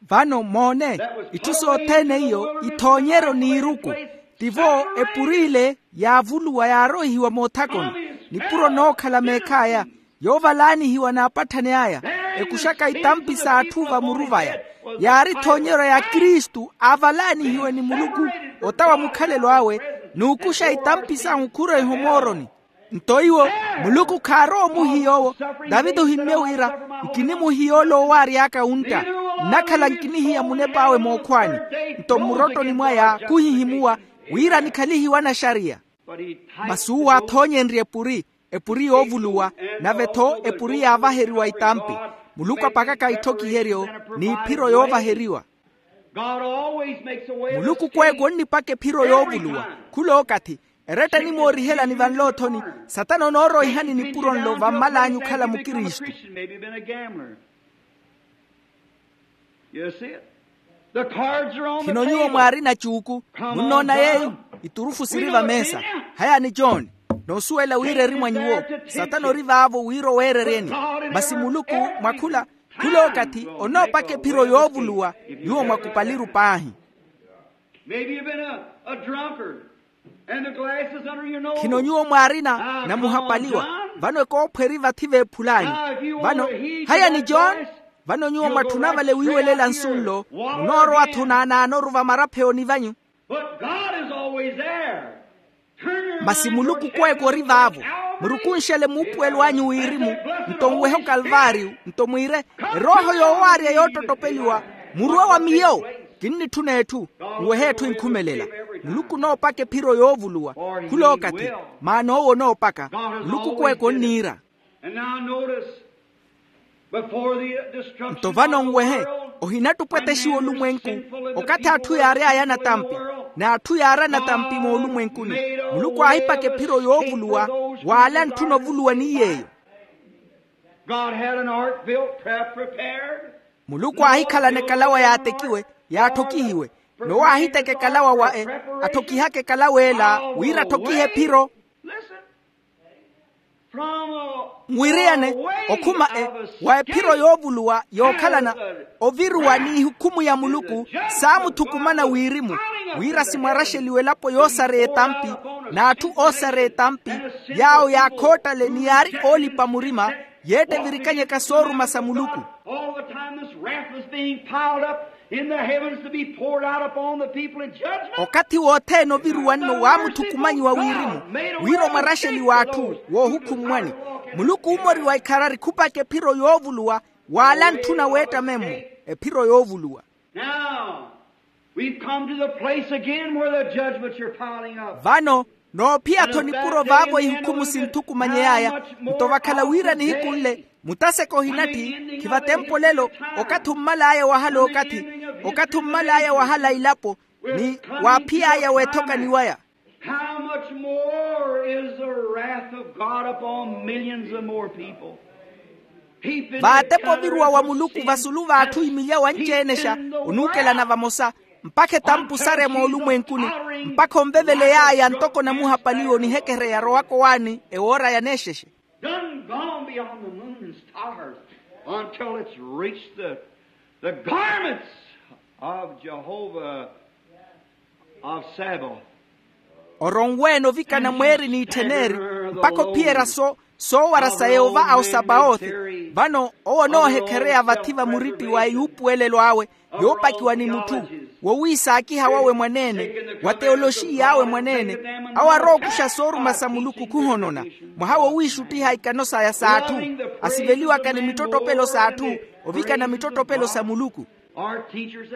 Vano moone, itthu sothene iyo ithoonyeryo n'iruku. Tivo epuri ile yaavuluwa yaaroihiwa moothakoni, nipuro nookhala meekh'aya, yoovalaanihiwa n'apatthani aya, ekuxaka itampi s'atthu vamuru vaya. Yaari ethoonyeryo ya kristu aavalaanihiwe ni muluku, ota wa mukhalelo awe, n'ukuxa itampi sahu khuroiha omooroni. Nto iwo, muluku khaarowa omuhiya owo. Taviti ohimmye wira, nkinimuhiya ole owaary'aka wuntta, nnakhala nkinihiya munep'awe mookhwaani. Nto mmurottoni mwaya khuhihimuwa, wira nikhalihiwe anaxariya. Masi uwo aathoonyenrye epuri, epuri yoovuluwa, nave-tho epuri yaavaheriwa itampi. Muluku apakaka itthokiheryo, n'iphiro yoovaheriwa. Muluku kweeka onnipaka ephiro yoovuluwa. Khul'okathi, eretta enimoorihelani vanloothoni, satana onooroihani nipuro nlo vammal'anyu okhala mukristu. Khino nyuwo mwaarina cuuku, munnoona yeeyo? Iturufu siri vameesa. Hayani john, noosuwela wira eri mwa nyuwo. Satana ori vaavo wira oweereryeni. Masi muluku, mwa khula, khul'okathi onoopaka ephiro yoovuluwa, nyuwo mwakupaliru paahi. Khino nyuwo mwaarina namuhapaliwa, vano ekoopho eri vathi veephul'anyu. Vano, hayani john, vano nyuwo mwatthuna vale wiiwelela nsu nlo, munoorowa-tho naanaanoru vamarapheoni vanyu. Masi muluku kweeka ori vaavo. Murukunxele muupuwelo anyu wirimu, nto nwehe okalvaariyo, nto mwiire, erooho yoowaarya yoottottopeliwa, murwe wa miyo. Kinnitthuna etthu, nwehe etthu enkhumelela. Muluku onoopaka ephiro yoovuluwa. Khul'okathi, maana owo onoopaka. Muluku kweeka onniira. Nto vano nwehe, ohinattupetexiwa olumwenku, okathi atthu yaary'aya anatampi, n'atthu yaari anatampi moolumwenkuni. Muluku aahipaka ephiro yoovuluwa, w'ale antthuna ovuluwa ni yeeyo. God had an ark built, pre- prepared. Muluku aahikhalana ekalawa yaatekiwe, yaatthokihiwe. Nowo aahiteka ekalawa wa e atthokihaka ekalawa ela wira atthokihe ephiro. Nwiriyane okhuma e wa ephiro yoovuluwa yookhalana oviruwa n'ihukhumu ya muluku, saamuthukumana wirimu wira simwaraxeliwe elapo yoosareya etampi n'atthu oosareya etampi, yaawo yaakhoottale ni yaari oolipa murima, yeetta evirikanyaka sooruma sa muluku. All the time this wrath was being piled up in the heavens to be poured out upon the people in judgment. Okathi wothene oviruwa nno waamuthukumanyiwa wirimu wira omwaraxeli w'atthu woohukhummwani. Muluku uumoriwa ikharari khupakha ephiro yoovuluwa w'ala antthuna weetta memmo, ephiro yoovuluwa. Now we've come to the place again where the judgments are piling up. Vano noophiya-tho nipuro vaavo ihukhumu sinthukumanyey'aya. Nto vakhala wira nihiku nle mutaseka ohinatthi, khiva tempo lelo, okathi ommal'aya wahala okathi, okathi ommal'aya wahala ilapo, ni waaphiy'aya weethokani waya. How much more is the wrath of God upon millions of more people? Vaatepa oviruwa wa muluku vasulu v'atthu imilya wanci-enexa onuukelana vamosa, mpakha etampu sarya moolumwenkuni, mpakha onveveley'aya ntoko namuhapaliwa onihekereya arowaka owaani ewoora yaneexexe. Done gone beyond the moon and stars until it's reached the, the garments of Jehovah of Sabaoth. Oronweene ovikana mweeri n'itthen'eri mpakha ophiyerya so soowara sa yehova a osapawothi. Vano owo onoohekhereya vathi va muritti wa eyuupuwelelo awe yoopakiwa ni mutthu, wowiisaakiha wawe mwaneene, wa teyoloxiy'awe mwaneene, awo arookuxa sooruma sa muluku khuhonona, mwaha wowiixuttiha ikano saya s'atthu, asiveliwaka ni mittottopelo s'atthu, ovikana mittottopelo sa muluku.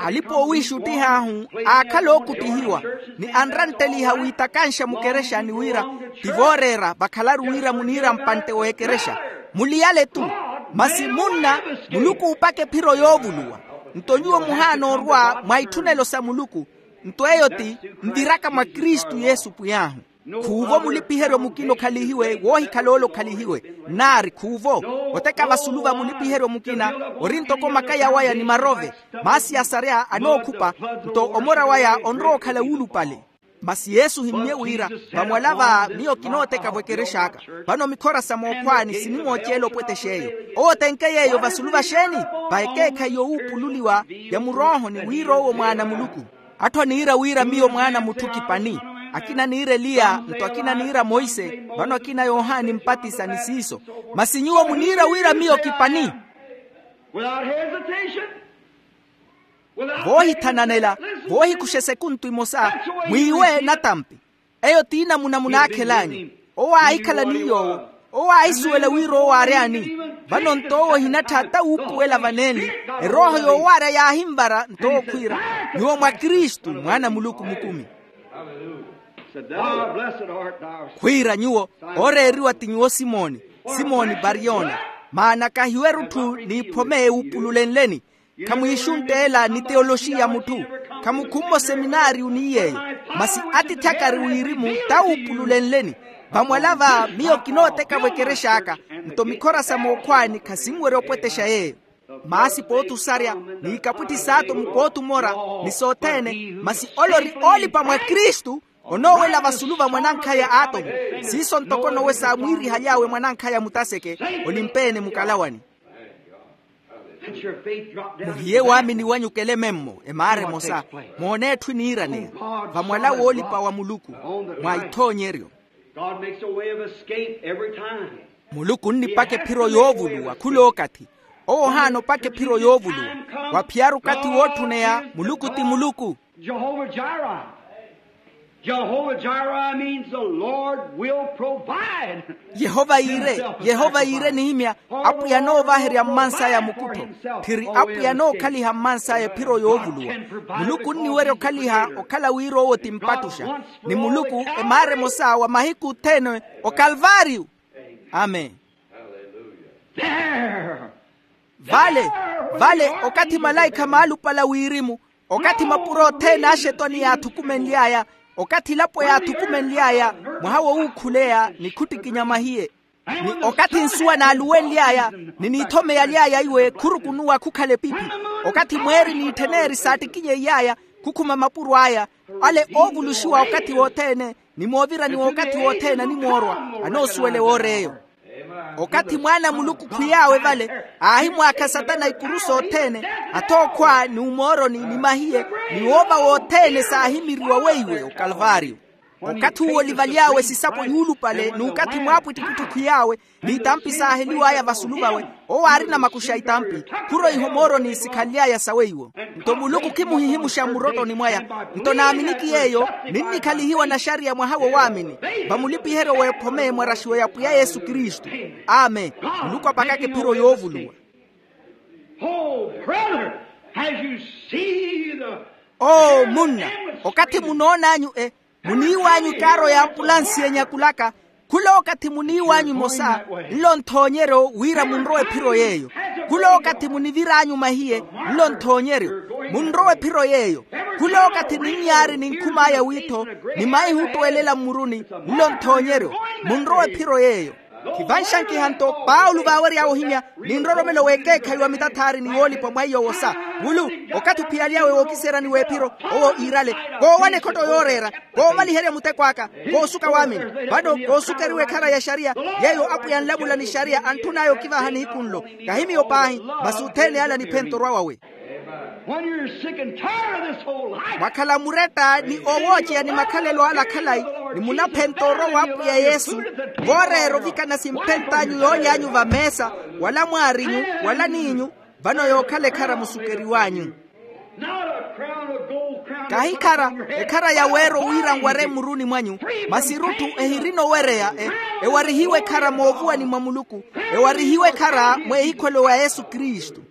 Alipa oowiixuttih'ahu aakhala ookuttihiwa, ni anrantteliha wiitakanxa mukerexani wira ti vooreera vakhalaru wira muniira mpantte w'ekerexa. Muliyale-tu, masi munna, muluku uupaka ephiro yoovuluwa. Nto nyuwo muhaana orwa mwa itthunelo sa muluku. Nto eyo ti nviraka mwa kristu yesu pwiy'ahu. Khuuvo mulipiheryo mukina okhalihiwe woohikhala ole okhalihiwe. Nnaari khuuvo, oteka vasulu va mulipiheryo mukina ori ntoko makaya waya ni marove, maasi asarya anookhupa, nto omora waya onrowa okhala wuulupale. Masi yesu ohimmye wira, vamwala va miyo kinooteka-vo ekerex'aka. Vano mikhora sa mookhwaani sinimooceela opwetex'eyo. Owo otenke yeeyo vasulu va xeeni? Va ekeekhayi yowuupululiwa ya muroohoni wira owo mwaana a muluku. Atthu aniira wira miyo mwaana a mutthu kipani. Akina aniira eliya nto akina aniira monse, vano akina yohani mpatisa ni siiso. Masi nyuwo muniira wira miyo kipani. Without hesitation. Voohithananela, voohikuxa esekuntu emosa, mwiiwe natampi. Eyo ti inamuna munaakhel'anyu. Owo aahikhala ni yoowo, owo aahisuwela wira owo aary'ani. Vano nto owo ohinattha ata wuupuwela vanenli, erooho yoowaarya yaahinvara nto owo khwiira, nyuwo mwa kristu mwaana a muluku mukumi. Khwiira nyuwo, ooreeriwa ti nyuwo simoni, simoni bariyona. Maana kahiweru-thu n'iphome ewuupululenleni. Khamwiixuntta ela ni teyoloxiya mutthu, khamukhumma oseminaariyu ni yeeyo. Masi atiithi akari wirimu tawuupululenleni. Vamwala va miyo kinooteka-vo ekerex'aka, nto mikhora sa mookhwaani khasinwerya opwetexa yeeyo. Maasi pooti osarya, n'ikapwitthi saato mukoothi omora, ni sothene. Masi ole ori oolipa mwa kristu, onoowela vasulu va mwanankhaya aatomu. Siiso ntoko nowe saamwiirihaly'awe mwanankhaya mutaseke, olimpeene mukalawani. Muhiye waamini wanyu kele memmo emaara emosa, moone etthu eniiraneya vamwala woolipa wa muluku mwa ithoonyeryo. Muluku onnipaka ephiro yoovuluwa khul'okathi. Owo ohaana opaka ephiro yoovuluwa. Waphiyaru okathi wootthuneya muluku ti muluku. Jehovah Jireh. Jehovah Jireh means the Lord will provide. Yehova yiire, yehova yiire nihimya, apwiya anoovaherya mmansaya mukuttho. Tthiri apwiya anookhaliha mmansaya ephiro yoovuluwa. Muluku onniwerya okhaliha okhala wira owo ti mpattuxa. Ni muluku emaara emosa wa mahiku othene okalvaariyu. Amen. Vale, vale, okathi malaikha maalupala wirimu, okathi mapuro othene a axetwani yaathukumenly'aya, okathi elapo yaathukumenly'aya, mwaha wowuukhuleya ni khuttikinya mahiye. Ni okathi nsuwa naaluwenly'aya, ni niithomeyaly'aya iwe khurukunuwa khukhala epipi. Okathi mweeri n'itthen'eri saattikinyeiy'aya, khukhuma mapuro aya, ale oovuluxiwa okathi wothene, ni moovirani w'okathi wothene animoorwa, anoosuwele woor'eyo. Okathi mwaana a muluku khwiy'awe vale, aahimwaakha satana ikuru sothene, athookhwa ni umooroni ni mahiye, ni woova wothene saahimiriwa weiwe okalvario. Okathi uwo olivaly'awe sisapo yuulupale n'ukathi mwaapwittipwitti khwiy'awe, n'itampi saaheliw'aya vasulu vawe, owo aarina makuxa a itampi, khuroiha omooroni sikhanly'aya saweiwo. Nto muluku khimuhihimuxa mmurottoni mwaya. Nto naaminiki yeeyo, ninnikhalihiwa naxariya mwaha wo waamini, vamulipiheryo w'ephome mwaraxiwe ya pwiya yesu kristu. Amen. Muluku apakaka ephiro yoovuluwa. Oh, brother, as you see the, oh munna, okathi munoon'anyu e, muniiw'anyu ekaaro y'ampulansi enyakulaka, khula okathi muniiw'anyu emosa, nlo nthoonyeryo wira munrowe ephiro yeeyo. Khula okathi munivir'anyu mahiye, nlo nthoonyeryo, munrowe ephiro yeeyo. Khula okathi ninyaari ninkhum'aya wiitho, ni maihu ottweelela mmuruni, nlo nthoonyeryo, munrowe ephiro yeeyo. Khivanxankiha nto paulo vaawery'awe ohimya, ni nroromelo w'ekeekhayi wa mitathaari ni woolipa mwa iyo wosa. Mulu, okathi ophiyaly'awe wookiseeryani w'ephiro, owo iirale, koowana ekhotto yooreera, koovaliherya muteko aka, koosuka waamini. Vano koosukeriwa ekhara ya exariya, yeeyo apwiya anlamula ni exariya antthun'aya okivaha nihiku nlo. Kahi miyo paahi, masi othene ala aniphenta orwa wawe. When you're sick and tired of this whole life, mwakhala muretta ni oowooceya ni makhalelo ala khalayi, ni munaphenta orwa w'apwiya yesu, vooreera ovikana simphent'anyu yooly'anyu vameesa, wala mwaarinyu, wala niinyu, vano yookhala ekhara musukeriw'anyu. Not a crown of gold crown. Kahi ekhara, ekhara ya weero wira nwar'e mmuruni mwanyu, masi erutthu ehirina owereya e, ewarihiwe ekhara moovuwani mwa muluku, ewarihiwe ekhara mweehikhwelo wa yesu kristu.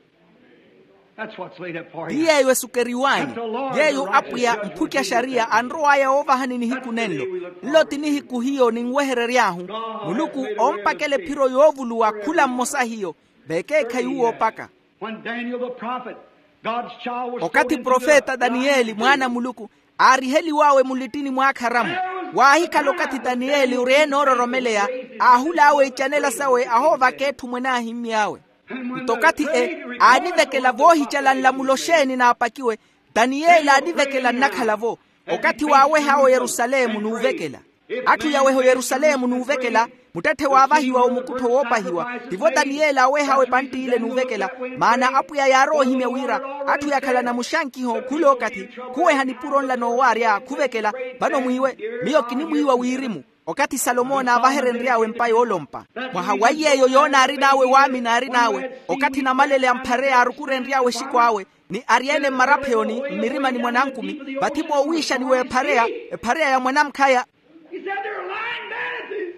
That's what's laid up for you. Ti yeeyo esukeriw'anyu, yeeyo apwiya mphuki a exariya anrow'aya woovahani nihiku nenlo. Nlo ti nihiku hiyo ninweherery'ahu, muluku ompakela ephiro yoovuluwa khula mmosa hiyo, vekeekhayi uwo opaka. When Daniel the prophet, God's child, was okathi profeta daniyeli mwaana a muluku, aariheliw'awe mulittini mw'akharamu, waahikhala okathi daniyeli ori enoororomeleya, aahul'awe icanela sawe ahoovaka etthu mwene aahimmy'awe. Nto okathi e, aanivekela voohicala nlamulo xeeni naapakiwe, daniyeli aanivekela nnakhala-vo. Okathi waaweh'awe oyerusalemu n'uvekela, atthu yaweha oyerusalemu n'uvekela, muttetthe waavahiwa omukuttho woopahiwa, tivo daniyeli aawehawe epantt'ile n'uvekela. Maana apwiya yaarowa ohimya wira, atthu yakhalana muxankiho khula okathi, khuweha nipuro nla noowaarya khuvekela. Vano mwiiwe, miyo kinimwiiwa wirimu. Okathi salomo naavaherenry'awe empa yoolompa, mwaha wa iy'eyo yoonaari n'awe waamini aari n'awe, okathi namalele a mphareya aarukurenry'awe exiko awe, ni aryeene mmarapheyoni mmirimani mwa nankumi, vathi moowiixani w'ephareya, ephareya ya mwanamkhaya. He said, "They're lying vanities."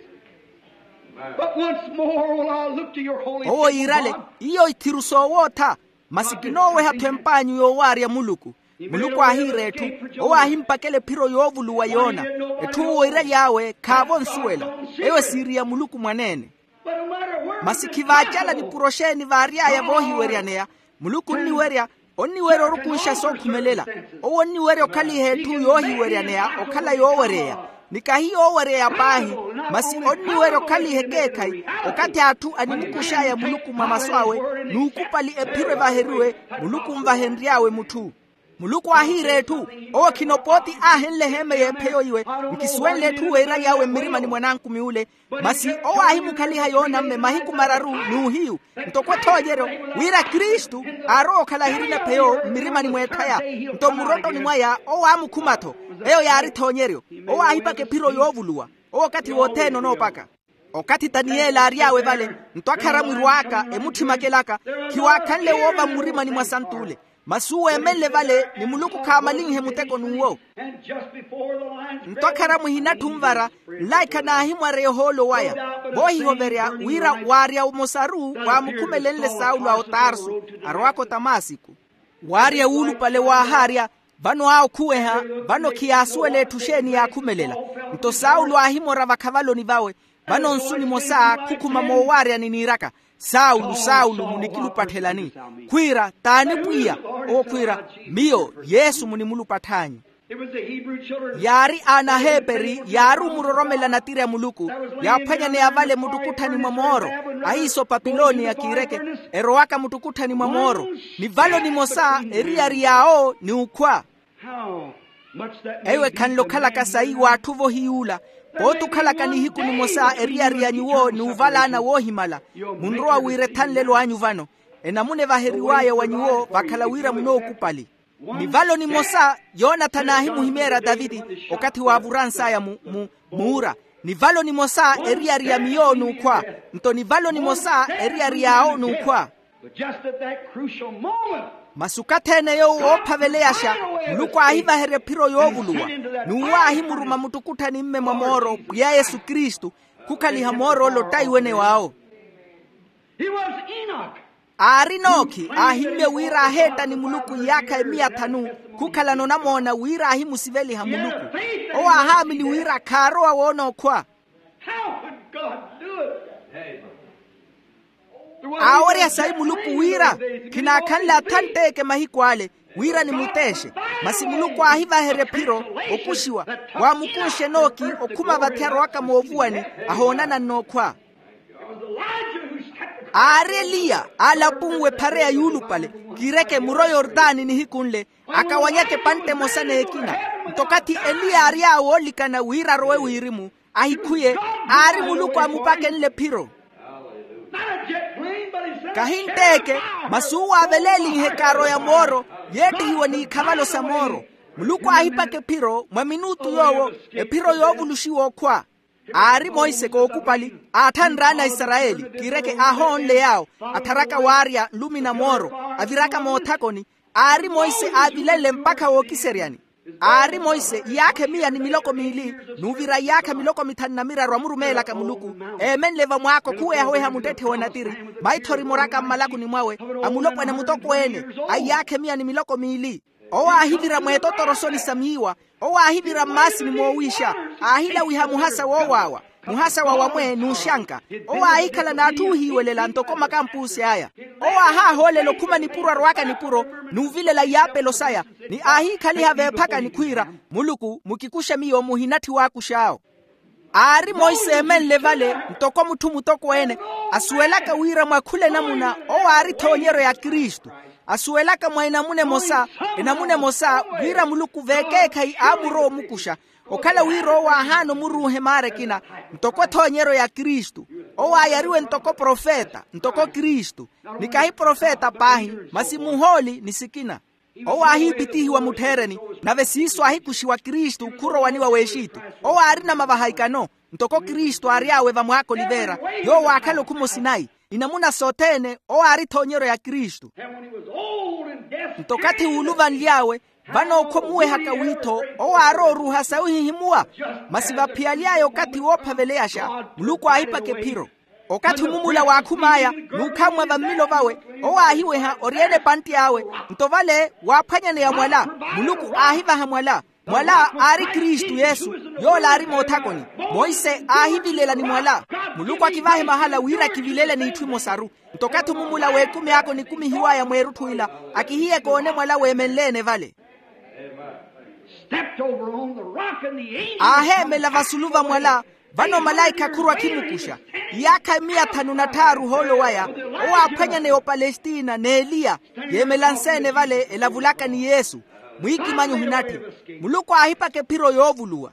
But once more will I look to your holy temple, God. Owo yiirale, iyo ithiru soowootha, masi kinooweha-tho emp'anyu yoowaarya muluku. Muluku aahiira etthu, owo aahimpakela ephiro yoovuluwa yoona. Etthu owo iiraly'awe khaavo nsuwela, eyo esiiri ya muluku mwaneene. Masi khivaacala nipuro xeeni vaary'aya voohiweryaneya, muluku onniwerya, onniwerya orukunxa sookhumelela. Owo onniwerya okhaliha etthu yoohiweryaneya okhala yooweryeya, ni kahi yooweryeya paahi, masi onniwerya okhaliha ekeekhayi, okathi atthu animukux'aya muluku mwa masu awe, n'ukupali ephiro evaheriwe, muluku onvahenry'awe mutthu. Muluku aahiira etthu, owo khino pooti aahenle eheeme y'epheyo iwe, nkisuwenle etthu weeraly'awe mmirimani mwa nankumi ule, masi owo aahimukhaliha yoonamme mahiku mararu n'uhiyu, ntoko ethoonyeryo, wira kristu aarowa okhala ahirina epheyo mmirimani mw'etthaya. Nto mmurottoni mwaya owo aamukhuma-tho, eyo yaari ethoonyeryo. Owo aahipaka ephiro yoovuluwa. Owo okathi wothene onoopaka. Okathi taniyeli aary'awe vale, nto akhara mwirw'aka emutthimmakelaka, khiwaakhanle woova mmurimani mwa sant'ule. Masi uwo eemenle vale ni muluku khaamalinhe muteko n'uwo. Nto akhara muhinatthu nvara, nlaikha naahimwareya ohoolo waya, voohihoverya wira waarya omosaru waamukhumelenle saulo a otarso, arowaka otamasiku. Waarya wuulupale waahaarya, vano aakhuweha, vano khiyaasuwela etthu xeeni yaakhumelela. Nto saulo aahimora vakhavaloni vawe, vano nsu nimosa khukhuma moowaaryani niiraka, saulo saulo munikilupatthelani? Khwiira, t'ani pwiya? Owo khwiira, miyo yesu munimulupatthanyu. Yaari aana aheeperi yaari omuroromela natiri a muluku, yaaphwanyaneya vale muttukutthani mwa mooro. Ahiiso papiloniya kiireke, erowaka muttukutthani mwa mooro. Ni valo nimosa eriyari yaawo ni ukhwa. Eyo ekhanle okhalaka sayi w'atthu vohiy'ula. Pooti okhalaka nihiku nimosa eriyari ya nyuwo n'uvalaana woohimala, munrowa wira ethanlelo anyu vano. Enamuna evaheriw'aya wa nyuwo vakhala wira munookupali. Ni valo nimosa yonathani aahimuhimeerya taviti okathi waavurans'aya mu muura. Ni valo nimosa eriyari ya miyo n'ukhwa. Nto ni valo nimosa eriyari yaawo n'ukhwa. Masi okathi-ene yoowo woophaveleyaxa, muluku aahivaherya ephiro yoovuluwa, n'uwo aahimuruma muttukutthani mme mwa mooro pwiya yesu kristu, khukhaliha moor'ole ottaiwene waawo. Aari enoki aahimmye wira aaheetta ni muluku iyaakha emiya thanu, khukhalana onamoona wira aahimusiveliha muluku. Owo aahaamini wira khaarowa woona okhwa. Aawerya sayi muluku wira khinaakhanle athantteke mahiku ale, wira nimuteexe. Masi muluku aahivaherya ephiro, okuxiwa, waamukunxe enooki okhuma vathi arowaka moovuwani, ahoonana n'okhwa. Aari eliya aalapunwe ephare ya yuulupale, kiireke muro yortani nihiku nle, akawanyaka epantte emosa n'ekina. Nto okathi eliya aary'awe oolikana wira arowe wirimu, ahikhuye, aari muluku aamupakenle ephiro. Kahi ntteeke, masi uwo aavelelinhe ekaaro ya mooro, yeettihiwa n'ikhavalo sa mooro. Muluku aahipaka ephiro mwa minutu yoowo, ephiro yoovuluxiwa okhwa. Aari monse kookupali, aatthanraana aisarayeli, kiireke aahoonle yaawo, attharaka waarya nlumi na mooro, aviraka moothakoni. Aari monse aavilenle mpakha wookiseryani. Aari monse iyaakha emiya ni miloko miili, n'uvira iyaakha miloko mithanu na miraru amurumeelaka muluku, eemenle vamwaako khuwehaweha muttetthe wa natiri, maithori moraka mmalakuni mwawe, a mulopwana mutokweene, a iyaakha emiya ni miloko miili. Owo aahivira mweetotoro soni sa miiwa, owo aahivira mmaasini moowiixa, aahilawiha muhasa woowaawa, muhasa wa wamwe n'uxanka. Owo aahikhala n'atthu oohiiwelela ntoko makampuusi aya. Owo aahaahoolela okhuma nipuro arowaka nipuro, n'uvilela iyaapelo saya, ni aahiikhaliha veephakani khwiira, muluku mukikuxe miyo muhinatthi waakux'awo. Aari monse eemenle vale, ntoko mutthu mutokweene, asuwelaka wira mwa khula enamuna owo aari ethoonyeryo ya kristu. Asuwelaka mwa enamuna emosa, enamuna emosa, wira muluku veekeekhayi aamurowa omukuxa, okhala wira owo aahaana omuruuha emaara ekina, ntoko ethoonyeryo ya kristu. Owo aayariwe ntoko profeta, ntoko kristu. Ni kahi profeta paahi, masi muhooli ni sikina. Owo aahiipitihiwa muttheereni, nave siiso aahikuxiwa kristu khurowaniwa w'exitu. Owo aarina mavaha ikano, ntoko kristu aary'awe vamwaaka oliveera, yoowo aakhala okhuma osinayi. Inamuna sothene owo aari ethoonyeryo ya kristu. Nto okathi wuuluvanly'awe, vano ookhomuwehaka wiitho, owo aarowa oruuha sayi ohihimuwa. Masi vaphiyaly'aya okathi woophaveleyasha, muluku aahipaka ephiro. Okathi omumula waakhum'aya, n'ukhammwa vammilo vawe, owo aahiweha oryeene epantti awe. Nto vale waaphwanyaneya mwala, muluku aahivaha mwala. Mwala aari kristu yesu, yoola aari moothakoni. Monse aahivilela ni mwala. Muluku akivahe mahala wira akivilele n'itthu imosaru. Nto okathi omumula w'ekumi aka onikumihiw'aya mweerutthu ila, akihiyeke oone mwala weemenle-ene vale. Aaheemela vasulu va mwala. Vano malaikha khurwa akhimukuxa. Iyaakha miya thanu na tthaaru ohoolo waya, owo aaphwanyaneya opalestina n'eliya, yeemela nse-ene vale elavulaka ni yesu. Mwiikimanyi ohinatthi. Muluku aahipaka ephiro yoovuluwa.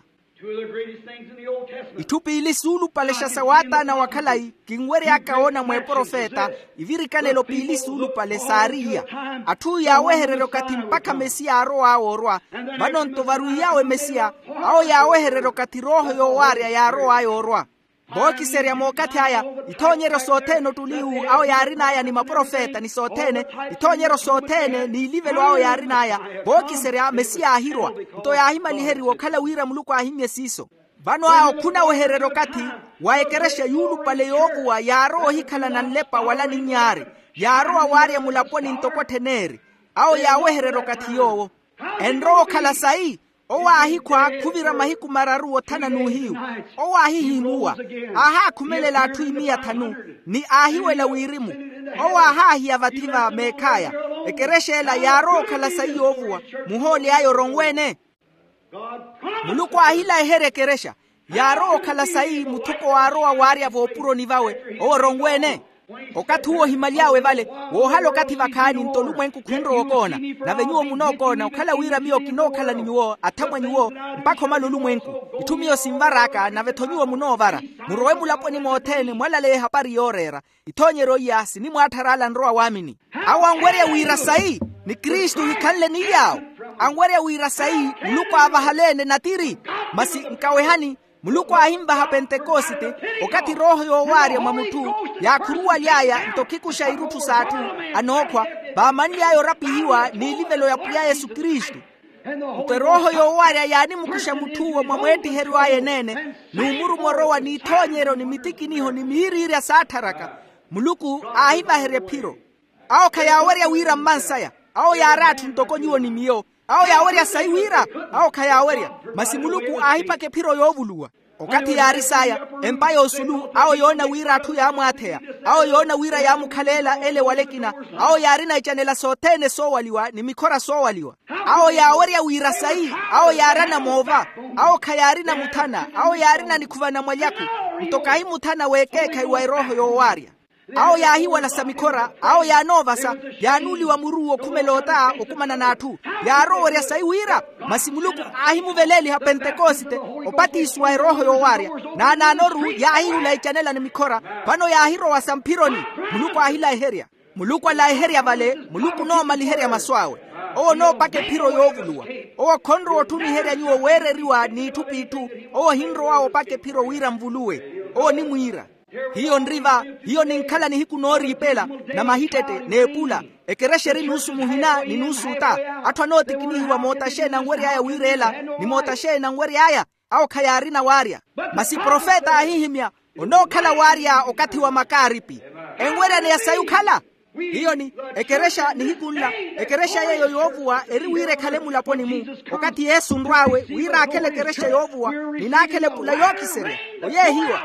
Itthu piili suulupalexa sa waataana wa khalayi kinwery'aka woona mwa eprofeta, ivirikanelo piili suulupale saari iya. Atthu yaawehererya okathi mpakha mesiya aarow'awe orwa. Vano-nto varwiiy'awe mesiya, awo yaawehererya okathi rooho yoowaarya yaarow'aya orwa. Vookiserya mookathi aya, ithoonyeryo sothene ottuliwu awo yaarin'aya ni maprofeta ni sothene, ithoonyeryo sothene n'ilivelo awo yaarin'aya. Vookiserya mesiya aahirwa. Nto yaahimaliheriwa okhala wira muluku aahimmye siiso. Vano awo khunawehererya okathi wa ekerexa yuulupale yoovuwa yaarowa ohikhalana nlepa wala aninnyaari. Yaarowa waarya mulaponi ntoko otthen'eri. Awo yaawehererya okathi yoowo enrowa okhala sayi. Owo aahikhwa khuvira mahiku mararu othana n'uhiyu. Owo aahihimuwa, aahaakhumelela atthu imiya thanu, ni aahiwela wirimu. Owo aahaahiya vathi va meekh'aya. Ekerexa ela yaarowa okhala sayi yoovuwa. Muhooli aya oronwe-ene. Muluku aahilayiherya ekerexa. Yaarowa okhala sayi muthuko waarowa waarya voopuroni vawe. Owo ronwe-ene. Okathi uwo ohimaly'awe vale, woohala okathi vakhaani nto olumwenku khunrowa okoona. Nave nyuwo munookoona okhala wira miyo kinookhala ni nyuwo athamwa nyuwo mpakha omala olumwenku. Itthu miyo sinvar'aka nave-tho nyuwo munoovara. Murowe mulaponi mothene mwalaleya ehapari yooreera. Ithoonyeryo iya sinimwaatthara ala anrowa waamini. Awo anwerya wira sayi ni kristu ohikhanle ni yaawo. Anwerya wira sayi muluku aavahaleene natiri. Masi nkawehani, muluku aahinvaha pentekosite, okathi erooho yoowaarya mwa mutthu yaakhuruwaly'aya nto khikuxa irutthu s'atthu anookhwa, vaamanly'aya orapihiwa n'ilivelo ya pwiya yesu kristu. Nto erooho yoowaarya yaanimukuxa mutth'uwo mwa mweettiheryo aya eneene, n'umuruma orowa n'ithoonyeryo ni mitikiniho ni miiriirya saattharaka. Muluku aahivaherya ephiro. Awo khayaawerya wira mmansaya. Awo yaari atthu ntoko nyuwo ni miyo. Awo yaawerya sayi wira. Awo khayaawerya. Masi muluku aahiphaka ephiro yoovuluwa. Okathi yaari saaya, empa y'osulu awo yoona wira atthu yaamwaatheya. Awo yoona wira yaamukhaleela ele wala ekina. Awo yaarina icanela sothene soowaliwa ni mikhora soowaliwa. Awo yaawerya wira sayi. Awo yaarana moova. Awo khayaarina muthana. Awo yaarina nikhuva na mwalyakhu. Nto kahi muthana w'ekeekhayi wa erooho yoowaarya. Awo yaahiwalasa mikhora. Awo yaanoovasa. Yaanuuliwa muru wokhumela ota okumana n'atthu. Yaarowerya sayi wira. Masi muluku aahimuveleeliha pentekosite opatiso wa erooho yoowaarya. Naanaanoru yaahihula icanela ni mikhora. Vano yaahirowasa mphironi. Muluku aahilayiherya. Muluku alayiherya vale. Muluku onoomaliherya masu awe. Owo onoopaka ephiro yoovuluwa. Owo khonrowa otthumiherya nyuwo weereriwa n'itthu p'itthu. Owo ohinrow'awe opaka ephiro wira nvuluwe. Owo onimwiira. Hiyo nri va. Hiyo ninkhala nihiku nooriipela na mahittette n'epula. Ekerexa eri nuusu muhina ni nuusu ota. Atthu anootikinihiwa moota xeeni anwery'aya wiireela ni moota xeeni anwery'aya. Awo khayaarina waarya. Masi profeta aahihimya, onookhala waarya okathi wa makaaripi. Enweryaneya sayi okhala. Hiyo ni ekerexa nihiku nla. Ekerexa yeeyo yoovuwa eri wira ekhale mulaponi-mu. Okathi yesu onrw'awe wira aakhele ekerexa yoovuwa ni naakhele epula yookiserya. Oyeehiwa.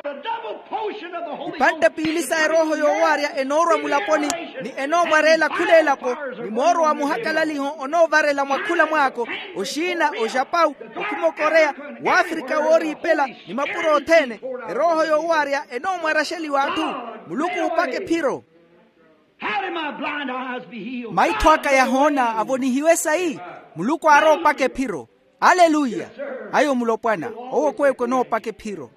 Ipantte piili sa erooho yoowaarya enoorwa mulaponi ni enoomwareela khula elapo. Ni mooro wa muhakalaliho onoovarela mwa khula mwaako. Oxiina oxapau, okhimokoreya, waafrika wooriipela ni mapuro othene. Erooho yoowaarya enoomwaraxeliwa atthu. Muluku oopaka ephiro. Maitho aka yahoona avonihiwe sayi. Muluku aarowa opaka ephiro. Aleluya. Ayo mulopwana. Owo kweekwe onoopaka ephiro.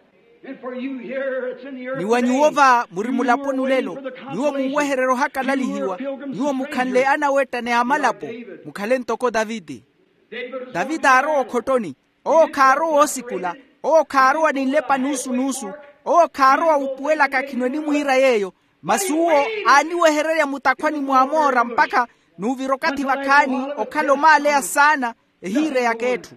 Ni wa nyuwo va muri mulaponi olelo, nyuwo muuwehererya ohakalalihiwa, nyuwo mukhanle anawetta ni amalapo, mukhale ntoko taviti. Taviti aarowa okhottoni. Owo khaarowa oosikula. Owo khaarowa ni nlepa nuusu-nuusu. Owo khaarowa wuupuwelaka khino enimwiira yeeyo. Masi uwo aaniwehererya mutakhwani mw'amoora mpakha n'uvira okathi vakhaani okhala omaaleya saana. Ehiire y'akeetthu.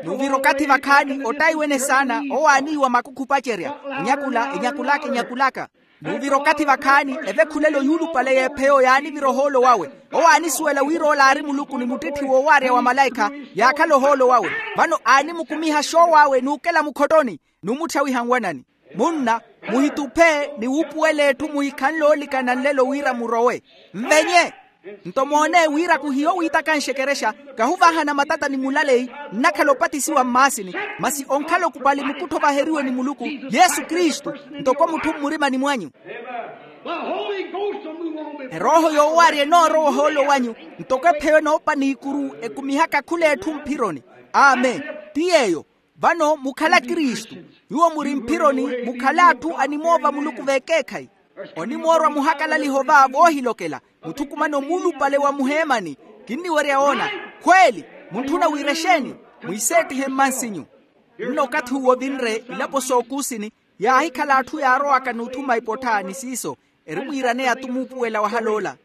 N'uvira okathi vakhaani ottaiwene saana. Owo aaniiwa makukhu opacerya. Enyakula enyakulaka enyakulaka. N'uvira okathi vakhaani evekhulelo yuulupale y'epheyo yaanivira ohoolo wawe. Owo aanisuwela wira ola aari muluku ni muttitthi woowaarya wa malaikha. Yaakhala ohoolo wawe. Vano aanimukumiha xoowo awe n'ukela mukhottoni n'umutthyawiha nwanani. Munna, muhituphe ni wuupuwela etthu muhikhanle oolikana nlelo wira murowe. Nvenye. Nto moone wira kuhiyo wiitakanxe ekerexa. Kahuvahana matata ni mulaleyi. Nnakhala opatisiwa mmaasini. Masi onkhala okupali mukuttho ovaheriwe ni muluku, yesu kristu, ntoko mutthu mmurimani mwanyu. Erooho yoowaarya enoorowa ohoolo wanyu. Ntoko epheyo enoopa n'ikuru ekumihaka khula etthu mphironi. Amen. Ti yeeyo. Vano mukhala kristu. Nyuwo muri mphironi. Mukhala atthu animoova muluku v'ekeekhayi. Onimoorwa muhakalaliho va voohilokela. Muthukumano muulupale wa muheemani. Kinniwerya woona. Khweeli. Muntthuna wira exeeni? Mwiiseettihe mmansinyu. Nno okathi uwo vinre ilapo s'okuusini, yaahikhala atthu yaarowaka n'uthuma ipottha ni siiso, erimwiiraneya-tu muupuwela wahal'ola.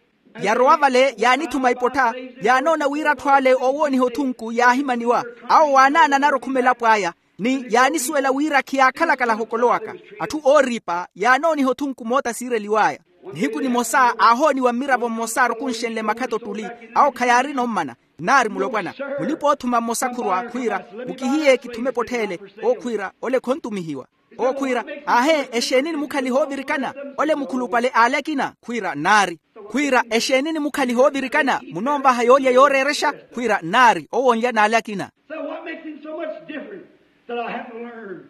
Yarowa vale yaanithuma ipottha. Yaanoona wira atthu ale oowooniha othunku yaahimaniwa. Awo waanaananara okhuma elapo aya. Ni yaanisuwela wira khiyaakhalakala hokolowaka. Atthu ooriipa yaanooniha othunku moota siireliw'aya. Nihiku nimosa aahooniwa mmiravo mmosa arukunxenle makhato ottuli. Awo khayaarina ommana. Nnaari mulopwana. Mulipa-oothuma mmosa khurwa khwiira, mukihiye kithume pottha ele. Owo khwiira, ole khontumihiwa. Owo khwiira, aahe exeeni nimukhaliha oovirikana? Ole mukhulupale aale akina khwiira nnaari. Khwiira, exeeni nimukhaliha oovirikana? Munoonvaha yoolya yooreerexa khwiira nnaari owo onlya n'ale akina. So what makes him so much different?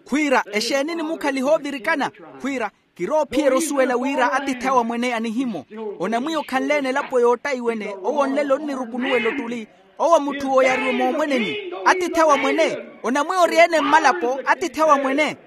Khwiira, exeeni nimukhaliha ovirikana? Khwiira, kirowa ophiyerya osuwela wira atiithi awe amwene anihimo. Onamwiya okhanleene elapo yoottayiwene, owo onlelo onnirukunuwela ottuli. Owo mutthu oyariwe moomweneni. Atiithi awe amwene. Onamwiya ori-ene mmalapo atiithi awe amwene.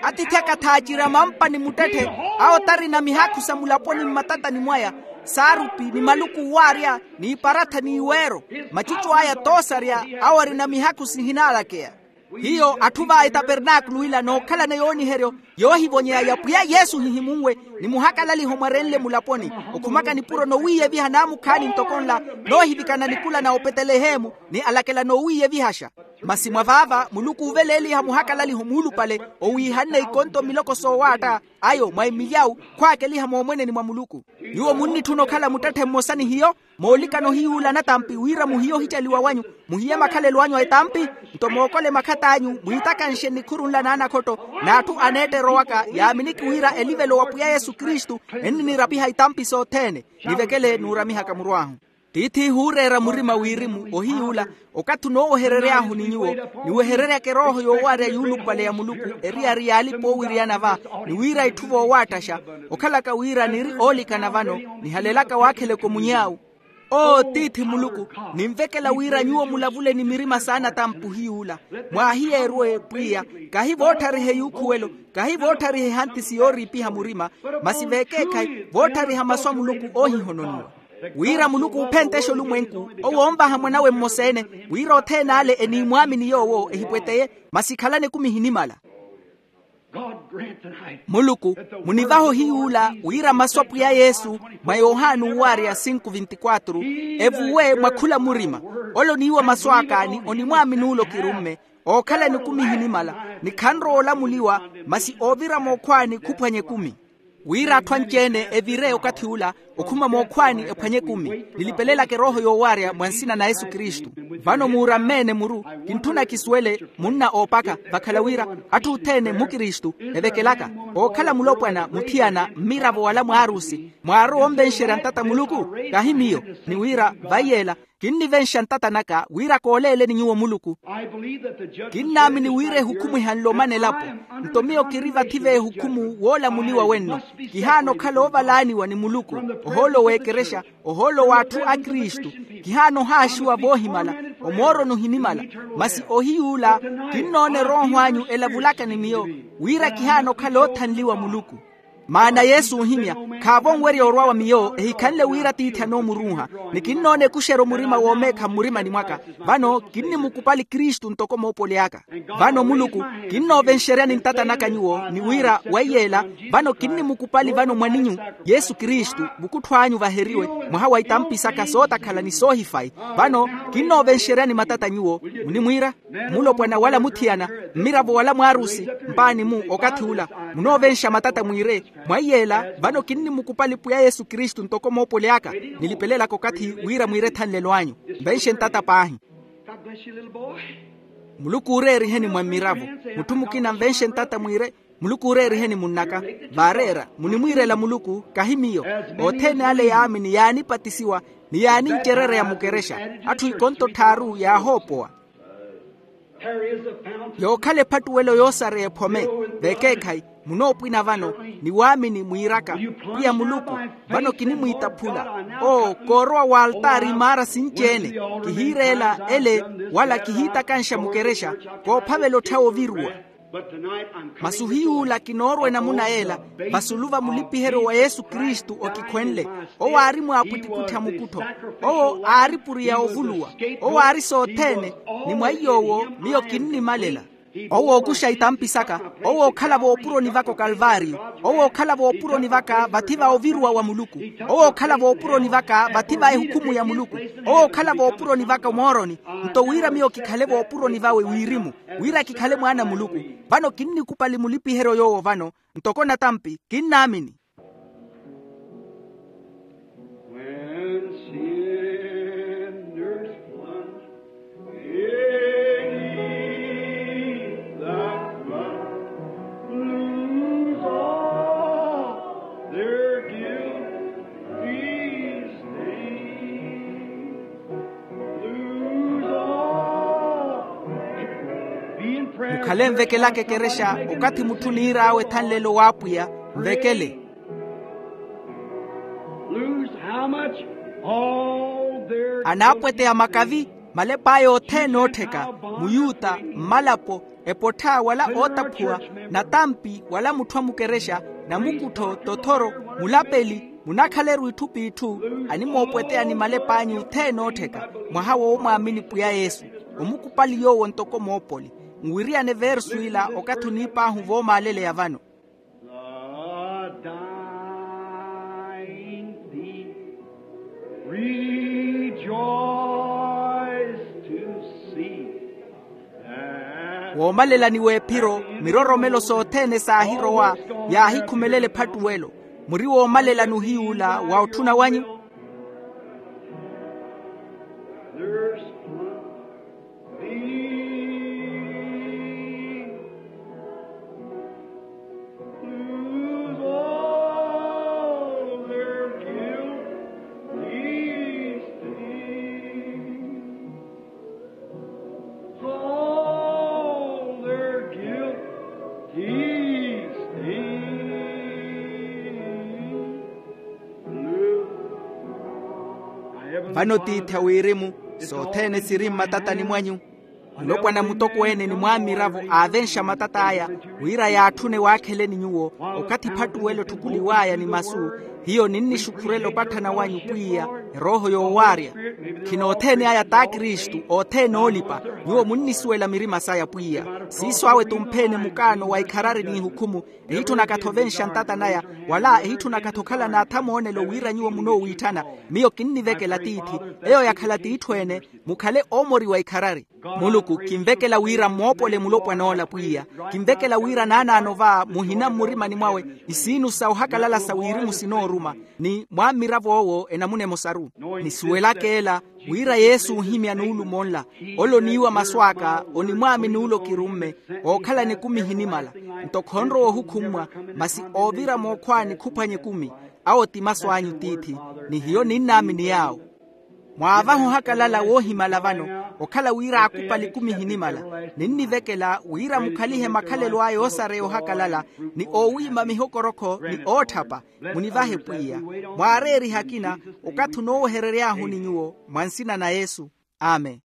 Atiithi aka thaaciri a mampa ni muttetthe. Awo tarina mihakhu sa mulaponi mmatatani mwaya, saarupi ni maluku owaarya, n'iparatha n'iweero. Macucu aya toosarya, awo arina mihakhu sihinaalakeya. Hiyo atthu va etapernaakulu ila nookhalana yooniheryo yoohivonyeya ya pwiya yesu hihimunwe, ni muhakalaliho mwarenle mulaponi, okhumaka nipuro nowiiyeviha naamukhaani ntoko nla, noohivikana nikula na opetelehemu ni alakela noowiiyevihaxa. Masi mwa vaava muluku uuveleeliha muhakalaliho muulupale, owiihanne ikonto miloko soowaatta ayo mwa emilyawu, khwaakeliha moomweneni mwa muluku. Nyuwo munnitthuna okhala muttetthe mmosa ni hiyo, moolikana ohiyuula anatampi wira muhiye ohicaliwa wanyu, muhiye makhalelo anyu a etampi. Nto mookole makhatt'anyu mwiitakanxe nnikhuru nla n'anakhotto, n'atthu aneetterowaka yaaminiki wira elivelo wa pwiya yesu kristu, enniniirapiha itampi sothene. Nivekele nuuramihaka muru ahu. Tiith'ihu ooreera murima wirimu ohiyuula, okathi onooweherery'ahu ni nyuwo, niwehereryaka erooho yoowaarya yuulupale ya muluku, eriyari y'alipa oowiriyana va, ni wira itthu voowaattaxa, okhalaka wira niri oolikana vano, nihalelaka waakheleke omuny'awu. Oo tiithi muluku, ninvekela wira nyuwo mulavule ni mirima s'anatampi ohiyuula, mwaahiyeeruwe pwiya, kahi vootthariha eyuukhuwelo, kahi vootthariha ehantisi yooriipiha murima, masi veekeekhayi vootthariha masu a muluku oohihononiwa. Wira muluku uuphentexe olumwenku, owo onvaha mwan'awe mmosa-ene, wira othene ale eniimwaamini yoowo ehipweteye, masi ikhalani ekumi ehinimala. Muluku, munivahe ohiyuula wira masu a pwiya yesu, mwa yohani owaarya sinku vinti-kwatru, evuwe mwa khula murima. Ole oniiwa masu aka ni onimwaamini ole okirumme, ookhalani ekumi ehinimala, ni khanrowa olamuliwa, masi oovira mookhwaani khuphwanya ekumi. Wira atthu anci-ene evire okathi ula, okhuma mookhwaani ephwanye ekumi, nilipelelaka erooho yoowaarya mwa nsina na yesu kristu. Vano muuramme-ene muru, kintthuna kisuwele munna oopaka, vakhala wira atthu othene mmukristu, evekelaka ookhala mulopwana muthiyana mmiravo wala mwaarusi, mwaarowa onvenxerya ntata muluku? Kahi miyo. Ni wira vaiyeela, kinnivenxa ntata naka wira kooleeleni nyuwo muluku. Kinnaamini wira ehukhumwiha nlomana elapo. Nto miyo kiri vathi v'ehukhumu woolamuliwa wenno. Kihaana okhala oovalaaniwa ni muluku, ohoolo w'ekerexa, ohoolo w'atthu a kristu. Kihaana ohaaxiwa voohimala, omooroni ohinimala, masi ohiyuula kinnoona erooho anyu elavulaka ni miyo, wira kihaana okhala oothanliwa muluku. Maana yesu oohimya, khaavo onwerya orwa wa miyo ehikhanle wira tiithi anoomuruuha, ni kinnoona ekuxeryo murima woomeekha mmurimani mwaka. Vano kinnimukupali kristu ntoko moopoli aka. Vano muluku, kinnoovenxeryani ntata naka nyuwo ni wira waiyeela, vano kinnimukupali vano mwaninyu yesu kristu, vukuttho anyu vaheriwe, mwaha wa itampi saka sootakhala ni soohifayi. Vano kinnoovenxeryani matata nyuwo, munimwiira, mulopwana wala muthiyana, mmiravo wala mwaarusi, mpaani-mu okathi ula, munoovenxa matata mwiire, mwaiyeela vano kinnimukupali pwiya yesu kristu ntoko moopoli aka. Nilipelelaka okathi wira mwiire ethanlelo anyu. Nvenxe ntata paahi. Muluku uureeriheni mwa mmiravo. Mutthu mukina nvenxe ntata mwiire. Muluku uureeriheni munnaka. Vaareera, munimwiirela muluku kahi miyo. Othene ale yaamini yaanipatisiwa, ni yaanincerereya mukerexa, atthu ikonto tthaaru yaahoopowa. Yookhala ephattuwelo yoosareya ephome. Vekeekhayi, munoopwina vano ni waamini mwiiraka, pwiya muluku, vano kinimwiitaphula. Oo koorowa w'altaari imaara sinci-ene, kihiireela ele, wala kihiitakanxa mukerexa, koophavela otthawa oviruwa. Masi ohiyuula kinoorwa enamuna yeela, vasulu va mulipiheryo wa yesu kristu okikhwenle. Owo aari mwaapwittipwitti a mukuttho. Owo aari puriya ovuluwa. Owo aari sothene, ni mwa iy'owo miyo kinnimalela. Owo ookuxa itampi saka. Owo ookhala voopuroni vaka okalvaariyo. Owo ookhala voopuroni vaka vathi va oviruwa wa muluku. Owo ookhala voopuroni vaka vathi va ehukhumu ya muluku. Owo ookhala voopuroni vaka omooroni. Nto wira miyo kikhale voopuroni vawe wirimu, wira kikhale mwaana a muluku. Vano kinnikupali mulipiheryo yoowo vano, ntoko natampi kinnaamini. When sinners plunge beneath that flood, lose all their guilty stain. Lose all Khale nvekelaka ekerexa. Okathi mutthu niir'awe ethanlelo w'apwiya, nvekele. Lose how much? All their. Anaapweteya makavi, malep'aya othene oottheka, muyuta, mmalapo, epottha wala ootaphuwa, natampi wala mutthu a mukerexa, namukuttho, tothoro, mulapeli, munakhaleru itthu p'itthu, animoopweteya ni malep'anyu othene oottheka, mwaha woomwaamini pwiya yesu, omukupali yoowo ntoko moopoli. Nwiriyane versu ila okathi oniip'ahu voomaaleleya vano. The dying thief rejoiced to see that. Woomalelani w'ephiro, miroromelo sothene saahirowa, yaahikhumelela ephattuwelo. Muri woomalelani ohiy'ula wa otthuna wanyu. There's Vano tiithi a wirimu, sothene siri mmatatani mwanyu. Mulopwana mutokweene ni mwaamiravo aavenxa matat'aya, wira yaatthune waakheleni nyuwo. Okathi ephattuwelo etthukuliw'aya ni masu, hiyo ninnixukhurela opatthana wanyu pwiya, erooho yoowaarya. Khina othene aya t'akristu othene oolipa. Nyuwo munnisuwela mirima saya pwiya. Siiso awe t'umpheni mukaano wa ikharari n'ihukhumu, ehitthunaka-tho ovenxa ntata naya, wala ehitthunaka-tho okhala n'athamoonelo wira nyuwo munoowiitthana. Miyo kinnivekela tiithi, eyo yakhala t'itthu ene, mukhale oomoriwa ikharari. Muluku kinvekela wira mmoopole mulopwan'ola pwiya. Kinvekela wira naanaano va muhina mmurimani mwawe, isiinu sa ohakalala sa wirimu sinooruma, ni mwammirav'owo enamuna emosaru. Nisuwelaka ela, wira yesu oohimya nuulumo nla, ole oniiwa masu aka onimwaamini ole okirumme, ookhalana ekumi ehinimala. Nto khonrowa ohukhummwa, masi oovira mookhwaani khuphwanya ekumi. Awo ti masu anyu tiithi, ni hiyo ninnaamini yaawo. Mwaavaha ohakalala woohimala vano, okhala wira aakupali ekumi ehinimala. Ninnivekela wira mukhalihe makhalelo aya oosareya ohakalala, ni oowiima mihokorokho ni ootthapa. Munivahe pwiya. Mwaareerihe akina, okathi onoowehereryaahu ni nyuwo, mwa nsina na yesu. Amen.